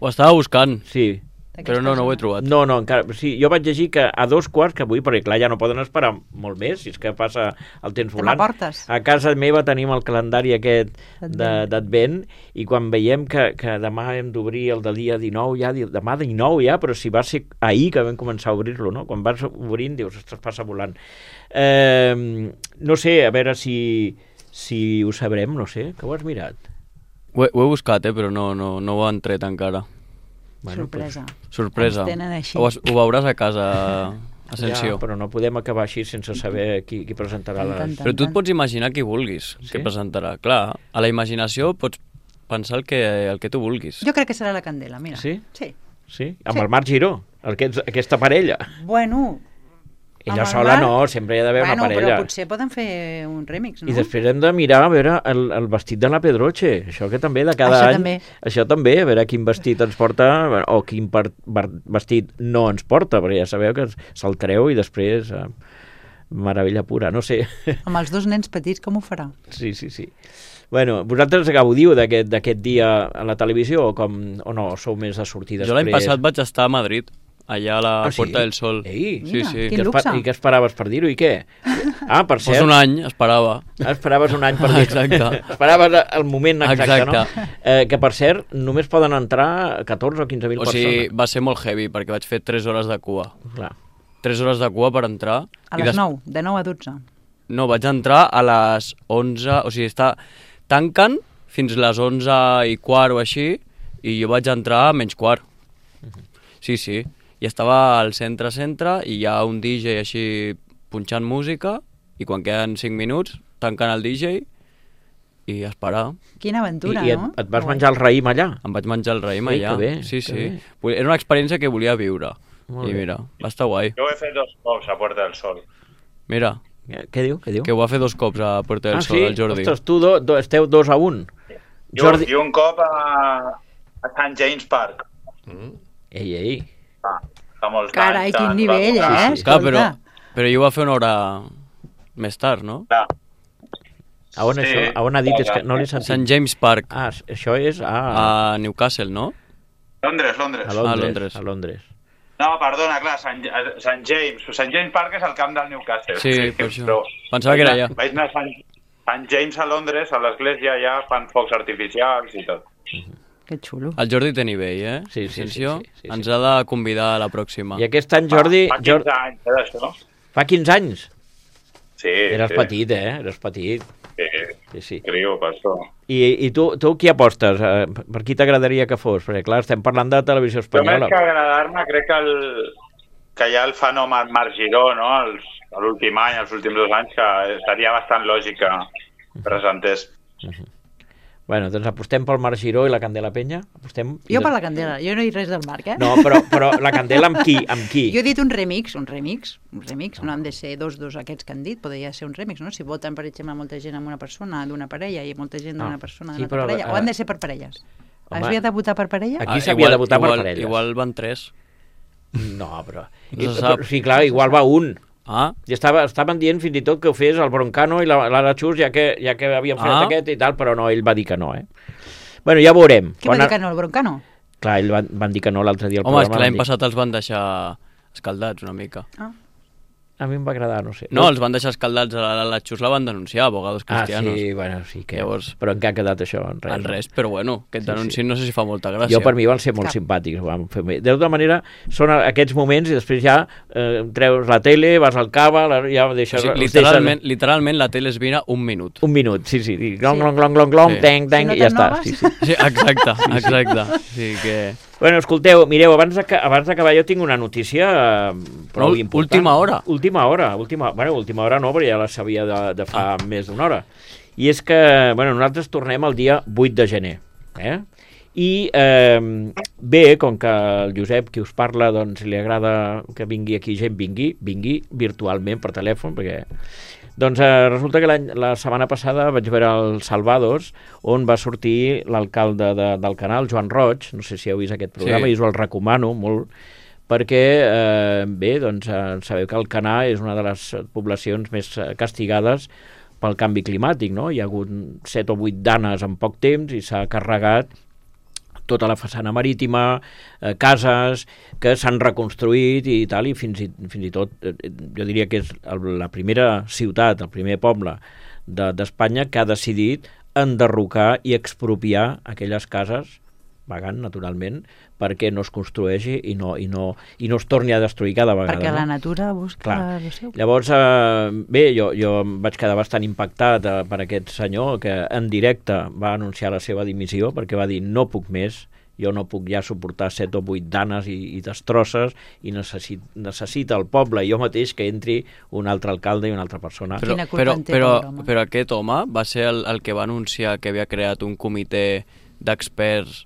Ho estava buscant, Sí. però no, no ho he trobat. No, no, encara... Sí, jo vaig llegir que a dos quarts, que avui, perquè clar, ja no poden esperar molt més, si és que passa el temps Te volant. m'aportes? A casa meva tenim el calendari aquest de- D'Advent. d'Advent, i quan veiem que, que demà hem d'obrir el del dia dinou, ja, di- demà dinou ja, però si va ser ahir que vam començar a obrir-lo, no? Quan vas obrint dius, ostres, passa volant. Eh, no sé, a veure si, si ho sabrem, no sé, que ho has mirat? Ho he, ho he buscat, eh, però no, no, no ho han tret encara. Sorpresa. Sorpresa. Ens tenen així. Ho, ho veuràs a casa, Asensio. Ja, però no podem acabar així sense saber qui, qui presentarà Tant, les... tant. Però tu et pots imaginar qui vulguis Sí? que presentarà. Clar, a la imaginació pots pensar el que, el que tu vulguis. Jo crec que serà la Candela, mira. Sí? Sí. Sí? Amb Sí. el Marc Giró, aquest, aquesta parella. Bueno... Ella amb el sola Marc- no, sempre hi ha d'haver bueno, una parella. Però potser poden fer un remix, no? I després hem de mirar a veure el, el vestit de la Pedroche, això que també de cada Això any... també. Això també, a veure quin vestit ens porta o quin per, per, vestit no ens porta, perquè ja sabeu que se'l treu i després... Eh, meravella pura, no sé. Amb els dos nens petits, com ho farà? Sí, sí, sí. Bueno, vosaltres gaudiu d'aquest d'aquest dia a la televisió o, com, o no, sou més de sortir després? Jo l'any passat vaig estar a Madrid, allà a la Ah, sí? Puerta del Sol. Ei, sí, Mira, sí. quin Què espa- luxe. I què esperaves per dir-ho i què? Ah, per Pues cert, un any, esperava. esperaves un any per dir-ho. Exacte. Esperaves el moment exacte, Exacte. no? Eh, que, per cert, només poden entrar catorze o quinze mil O sigui, persones. va ser molt heavy, perquè vaig fer tres hores de cua. Clar. tres hores de cua per entrar. A i les des- nou, de nou a dotze. No, vaig entrar a les onze, o sigui, està... tanquen fins les onze i quart o així, i jo vaig entrar a menys quart. Sí, sí. I estava al centre-centre i hi ha un D J així punxant música i quan queden cinc minuts tanquen el D J i a esperar. Quina I, aventura, i et, no? et vas Guai. menjar el raïm allà? Em vaig menjar el raïm Ei, allà. que bé, sí, que sí. bé. Vull- Era una experiència que volia viure. Molt I bé. mira, va estar guai. Jo ho he fet dos cops a Puerta del Sol. Mira, Eh, Què diu? Què diu? que ho va fer dos cops a Puerta del ah, Sol, sí? el Jordi. Ostres, tu do, do, esteu dos a un. I, Jordi... I un cop a, a Sant James Park. Ei, ei. Ah, fa molts Carai, anys. quin que nivell, va donar- eh? Clar, però, Escolta. però jo ho va fer una hora més tard, no? Clar. A on, Sí. això? A on ha dit? És que no l'he sentit. Sant James Park, Ah, això és a, a Newcastle, no? Londres, Londres. a Londres. a Londres. A Londres. No, perdona, clar, Sant, a- Sant James. Sant James Park és el camp del Newcastle. Sí, per això. Però Pensava que era vaig allà. anar- Vaig anar a Sant, Sant James a Londres, a l'església allà fan focs artificials i tot. Que xulo. El Jordi té nivell, eh? Sí, sí, sí, Atenció, sí, sí, sí. ens ha de convidar a la pròxima. I aquest any, Jordi... Fa, fa Jordi quinze anys, eh, d'això. fa quinze anys? Sí, Eres sí. petit, eh? Eres petit. Sí, Sí, sí. criu, per això. I, i tu, tu qui apostes? Eh, Per qui t'agradaria que fos? Perquè, clar, estem parlant de televisió Jo més espanyola. que agradar-me, crec que, el, que hi ha el fenomen Marc Giró, no? Els, l'últim any, els últims dos anys, que seria bastant lògic que presentés. Bueno, doncs apostem pel Marc Giró i la Candela Peña? Apostem... Jo per la Candela, jo no he dit res del Marc, eh? No, però, però la Candela amb qui? Amb qui? Jo he dit un remix, un remix, un remix, no han de ser dos, dos aquests que han dit, podria ser un remix, no? Si voten, per exemple, molta gent amb una persona d'una parella i molta gent d'una Ah, persona sí, d'una altra però, parella, o eh, han de ser per parelles? home, Has de votar per parella? Aquí Ah, s'havia de igual- votar per igual, parelles. Igual van tres. No, però... No se I, sap. sí, clar, igual va un. Ah, I estava, estaven dient fins i tot que ho fes el Broncano i la- l'Ara Xus, ja que, ja que havien fet Ah. aquest i tal, però no, ell va dir que no, eh? Bueno, ja veurem. Qui va Quan dir a- que no, el Broncano? Clar, ell van, van dir que no l'altre dia al home, és programa. que l'any van dir- passat els van deixar escaldats una mica. Ah. A mi em va agradar, no sé. No, els van deixar escaldats, a la, la Xus la van denunciar, abogados cristianos. Ah, sí, bueno, sí que... Llavors, però en què ha quedat això? En res. en res, però bueno, que et Sí, denunciin sí. no sé si fa molta gràcia. Jo, per mi, van ser molt Cap. simpàtics. Van fer bé. De tota manera, són aquests moments i després ja eh, treus la tele, vas al cava, la, ja O deixes... sigui, els literalment, deixes... literalment la tele es mira un minut. Un minut, sí, sí. I glong, Sí. glong, glong, glong, glong, Sí. teng, teng, Si no i ja te'n està. noves. Sí, sí. Sí, exacte, exacte. Sí que... Bueno, escolteu, mireu, abans d'aca- abans d'acabar jo tinc una notícia eh, prou No, important. última hora. Última hora, última, bueno, última hora no, perquè ja la sabia de, de fa ah. més d'una hora. I és que, bueno, nosaltres tornem el dia vuit de gener, eh? I eh, bé, com que el Josep, qui us parla, doncs li agrada que vingui aquí gent, vingui, vingui virtualment per telèfon, perquè... Doncs eh, resulta que la setmana passada vaig veure el Salvados, on va sortir l'alcalde de, del canal, Joan Roig, no sé si heu vist aquest programa, Sí. i us el recomano molt, perquè, eh, bé, doncs eh, sabeu que el Canà és una de les poblacions més eh, castigades pel canvi climàtic, no? Hi ha hagut set o vuit danes en poc temps i s'ha carregat tota la façana marítima, eh, cases que s'han reconstruït i tal, i fins i, fins i tot, eh, jo diria que és el, la primera ciutat, el primer poble d'Espanya de, que ha decidit enderrocar i expropiar aquelles cases, pagant, naturalment, perquè no es construeixi i no, i no, i no es torni a destruir cada vegada. Perquè no? la natura busca Clar. el seu. Llavors, eh, bé, jo, jo em vaig quedar bastant impactat eh, per aquest senyor que en directe va anunciar la seva dimissió perquè va dir no puc més, jo no puc ja suportar set o vuit danes i, i destrosses i necessit, necessita el poble i jo mateix que entri un altre alcalde i una altra persona. Però, Quina culpa però, en té, però, pobre home. però aquest home va ser el, el que va anunciar que havia creat un comitè d'experts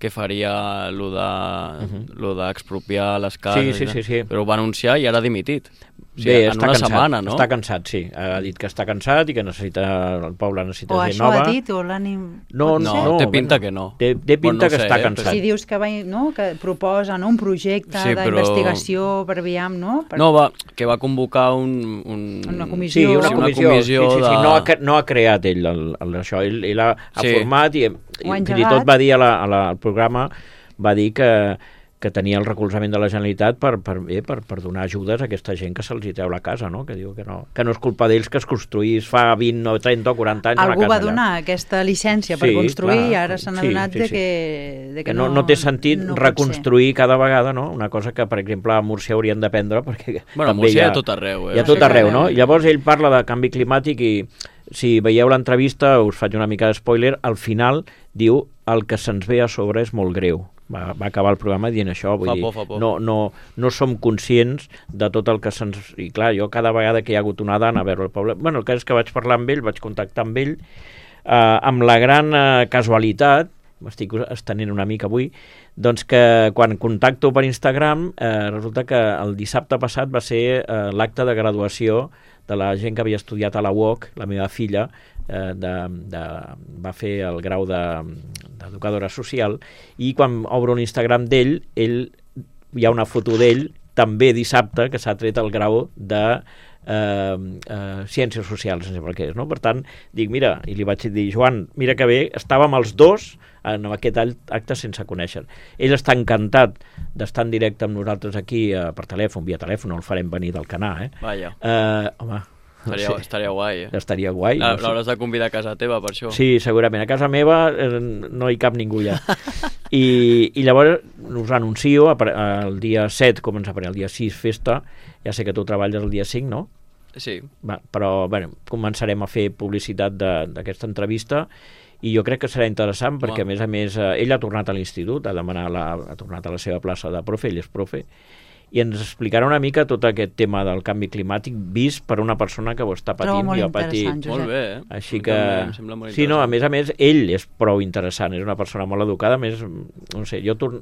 que faria lo de, Mhm. lo d'expropiar les cases. Sí, sí, sí, sí. Però ho va anunciar i ara ha dimitit. O sigui, Bé, en està una cansat, setmana, no? està cansat, sí. Ha dit que està cansat i que necessita, el poble necessita O gent això nova. ha dit, o l'ànim... No, pot No, ser? no, té pinta bueno, que no. Té, té pinta Bueno, no que sé, està eh, cansat. Si dius que, va, no, que proposa no, un projecte Sí, però- d'investigació per aviam, no? Per... No, va, que va convocar un... un... Una Sí, comissió. una Sí, una comissió. comissió sí, sí, sí. de- No, ha, cre- no ha creat ell el, el, això, ell, ell ha, ha Sí. format i, i Ho ha fins i engegat. tot va dir a la, a la, al programa va dir que, que tenia el recolzament de la Generalitat per, per, bé, per, per donar ajudes a aquesta gent que se'ls hi treu la casa, no? Que diu que no, que no és culpa d'ells que es construís fa vint, o trenta o quaranta anys Algú una casa va donar allà. aquesta llicència per Sí, construir clar. i ara s'han Sí, adonat sí, de sí. que, de Que no, no té sentit no pot reconstruir cada vegada, no? Una cosa que, per exemple, a Múrcia haurien d'aprendre, perquè Bueno, a també Múrcia hi hi ha, ha tot arreu, eh? hi ha tot Sí, arreu, sí. no? Llavors ell parla de canvi climàtic i si veieu l'entrevista, us faig una mica de spoiler, al final diu el que se'ns ve a sobre és molt greu. Va, va acabar el programa dient això, vull Fa dir, por, fa por. no, no, no som conscients de tot el que se'ns... I clar, jo cada vegada que hi ha hagut una dana a veure el poble... Bueno, el cas és que vaig parlar amb ell, vaig contactar amb ell, eh, amb la gran eh, casualitat, m'estic estenent una mica avui, doncs que quan contacto per Instagram eh, resulta que el dissabte passat va ser eh, l'acte de graduació de la gent que havia estudiat a la U O C, la meva filla, eh, de, de, va fer el grau d'educadora de, social, i quan obro l'Instagram d'ell, ell, hi ha una foto d'ell també dissabte que s'ha tret el grau de eh, eh, Ciències Socials, no sé per què és, no? Per tant, dic, mira, i li vaig dir, Joan, mira que bé, estàvem els dos en aquest acte sense conèixer. Ell està encantat d'estar en directe amb nosaltres aquí eh, per telèfon, via telèfon, no el farem venir del Canà, eh? Vaja, Eh, home, estaria, no sé, estaria guai, eh? estaria guai. La- no sé. L'hauràs de convidar a casa teva, per això. Sí, segurament. A casa meva eh, no hi cap ningú ja. I, i llavors us anuncio, apare- el dia set començarà, el dia sis festa, ja sé que tu treballes el dia cinc, no? Sí. Va, però bueno, començarem a fer publicitat de- d'aquesta entrevista i jo crec que serà interessant perquè, Home. a més a més, eh, ell ha tornat a l'institut, ha demanat la, ha tornat a la seva plaça de profe, ell és profe, i ens explicarà una mica tot aquest tema del canvi climàtic vist per una persona que ho està Trobo patint molt i ha patit. interessant, Josep. Molt bé, eh? Així Em que... també em sembla molt Sí, no, a interessant. més a més, ell és prou interessant, és una persona molt educada, a més, no sé, jo torn...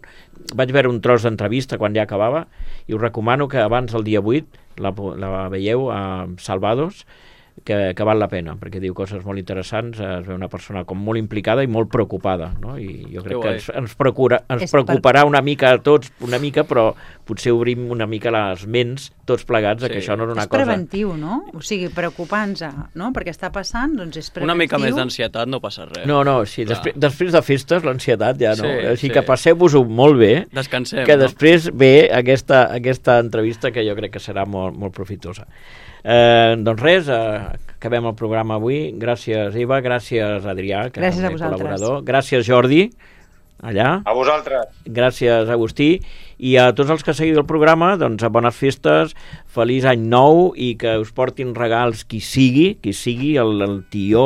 vaig veure un tros d'entrevista quan ja acabava i us recomano que abans del dia vuit la, la veieu a Salvados, que, que val la pena, perquè diu coses molt interessants, es veu una persona com molt implicada i molt preocupada, no? I jo crec que ens, ens, procura, ens preocuparà una mica a tots, una mica, però potser obrim una mica les ments tots plegats, sí. que això no és una és cosa... És preventiu, no? O sigui, preocupar-nos, no? Perquè està passant, doncs és preventiu. Una mica més d'ansietat no passa res. No, no, sí, després, després de festes l'ansietat ja no. Sí, Així sí. que passeu-vos-ho molt bé. Descansem, que no? després ve aquesta, aquesta entrevista que jo crec que serà molt, molt profitosa. Eh, doncs res, eh, acabem el programa avui. Gràcies, Eva, gràcies, Adrià, que gràcies és el col·laborador. Gràcies, Jordi, allà. A vosaltres. Gràcies, Agustí. I a tots els que seguiu el programa, doncs a bones festes, feliç any nou i que us portin regals qui sigui, qui sigui, el, el tió,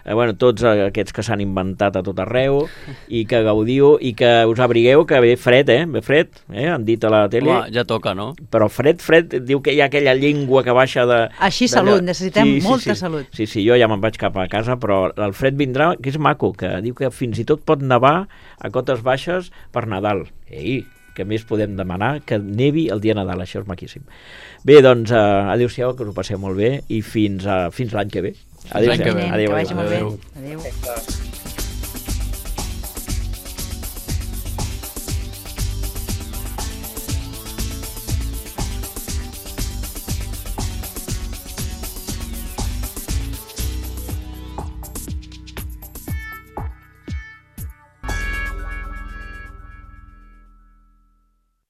eh, bueno, tots aquests que s'han inventat a tot arreu, i que gaudiu i que us abrigueu, que ve fred, eh? Ve fred, eh? Han dit a la tele. Home, ja toca, no? Però fred, fred, diu que hi ha aquella llengua que baixa de... Així salut, necessitem sí, sí, molta sí. salut. Sí, sí, jo ja me'n vaig cap a casa, però el fred vindrà, que és maco, que diu que fins i tot pot nevar a cotes baixes per Nadal. Ei, que més podem demanar que nevi el dia de Nadal, això és maquíssim. Bé, doncs, uh, adéu-siau, que us ho passeu molt bé i fins, uh, fins l'any que ve. Adéu-siau. Adéu, adéu, adéu, adéu. adéu. adéu.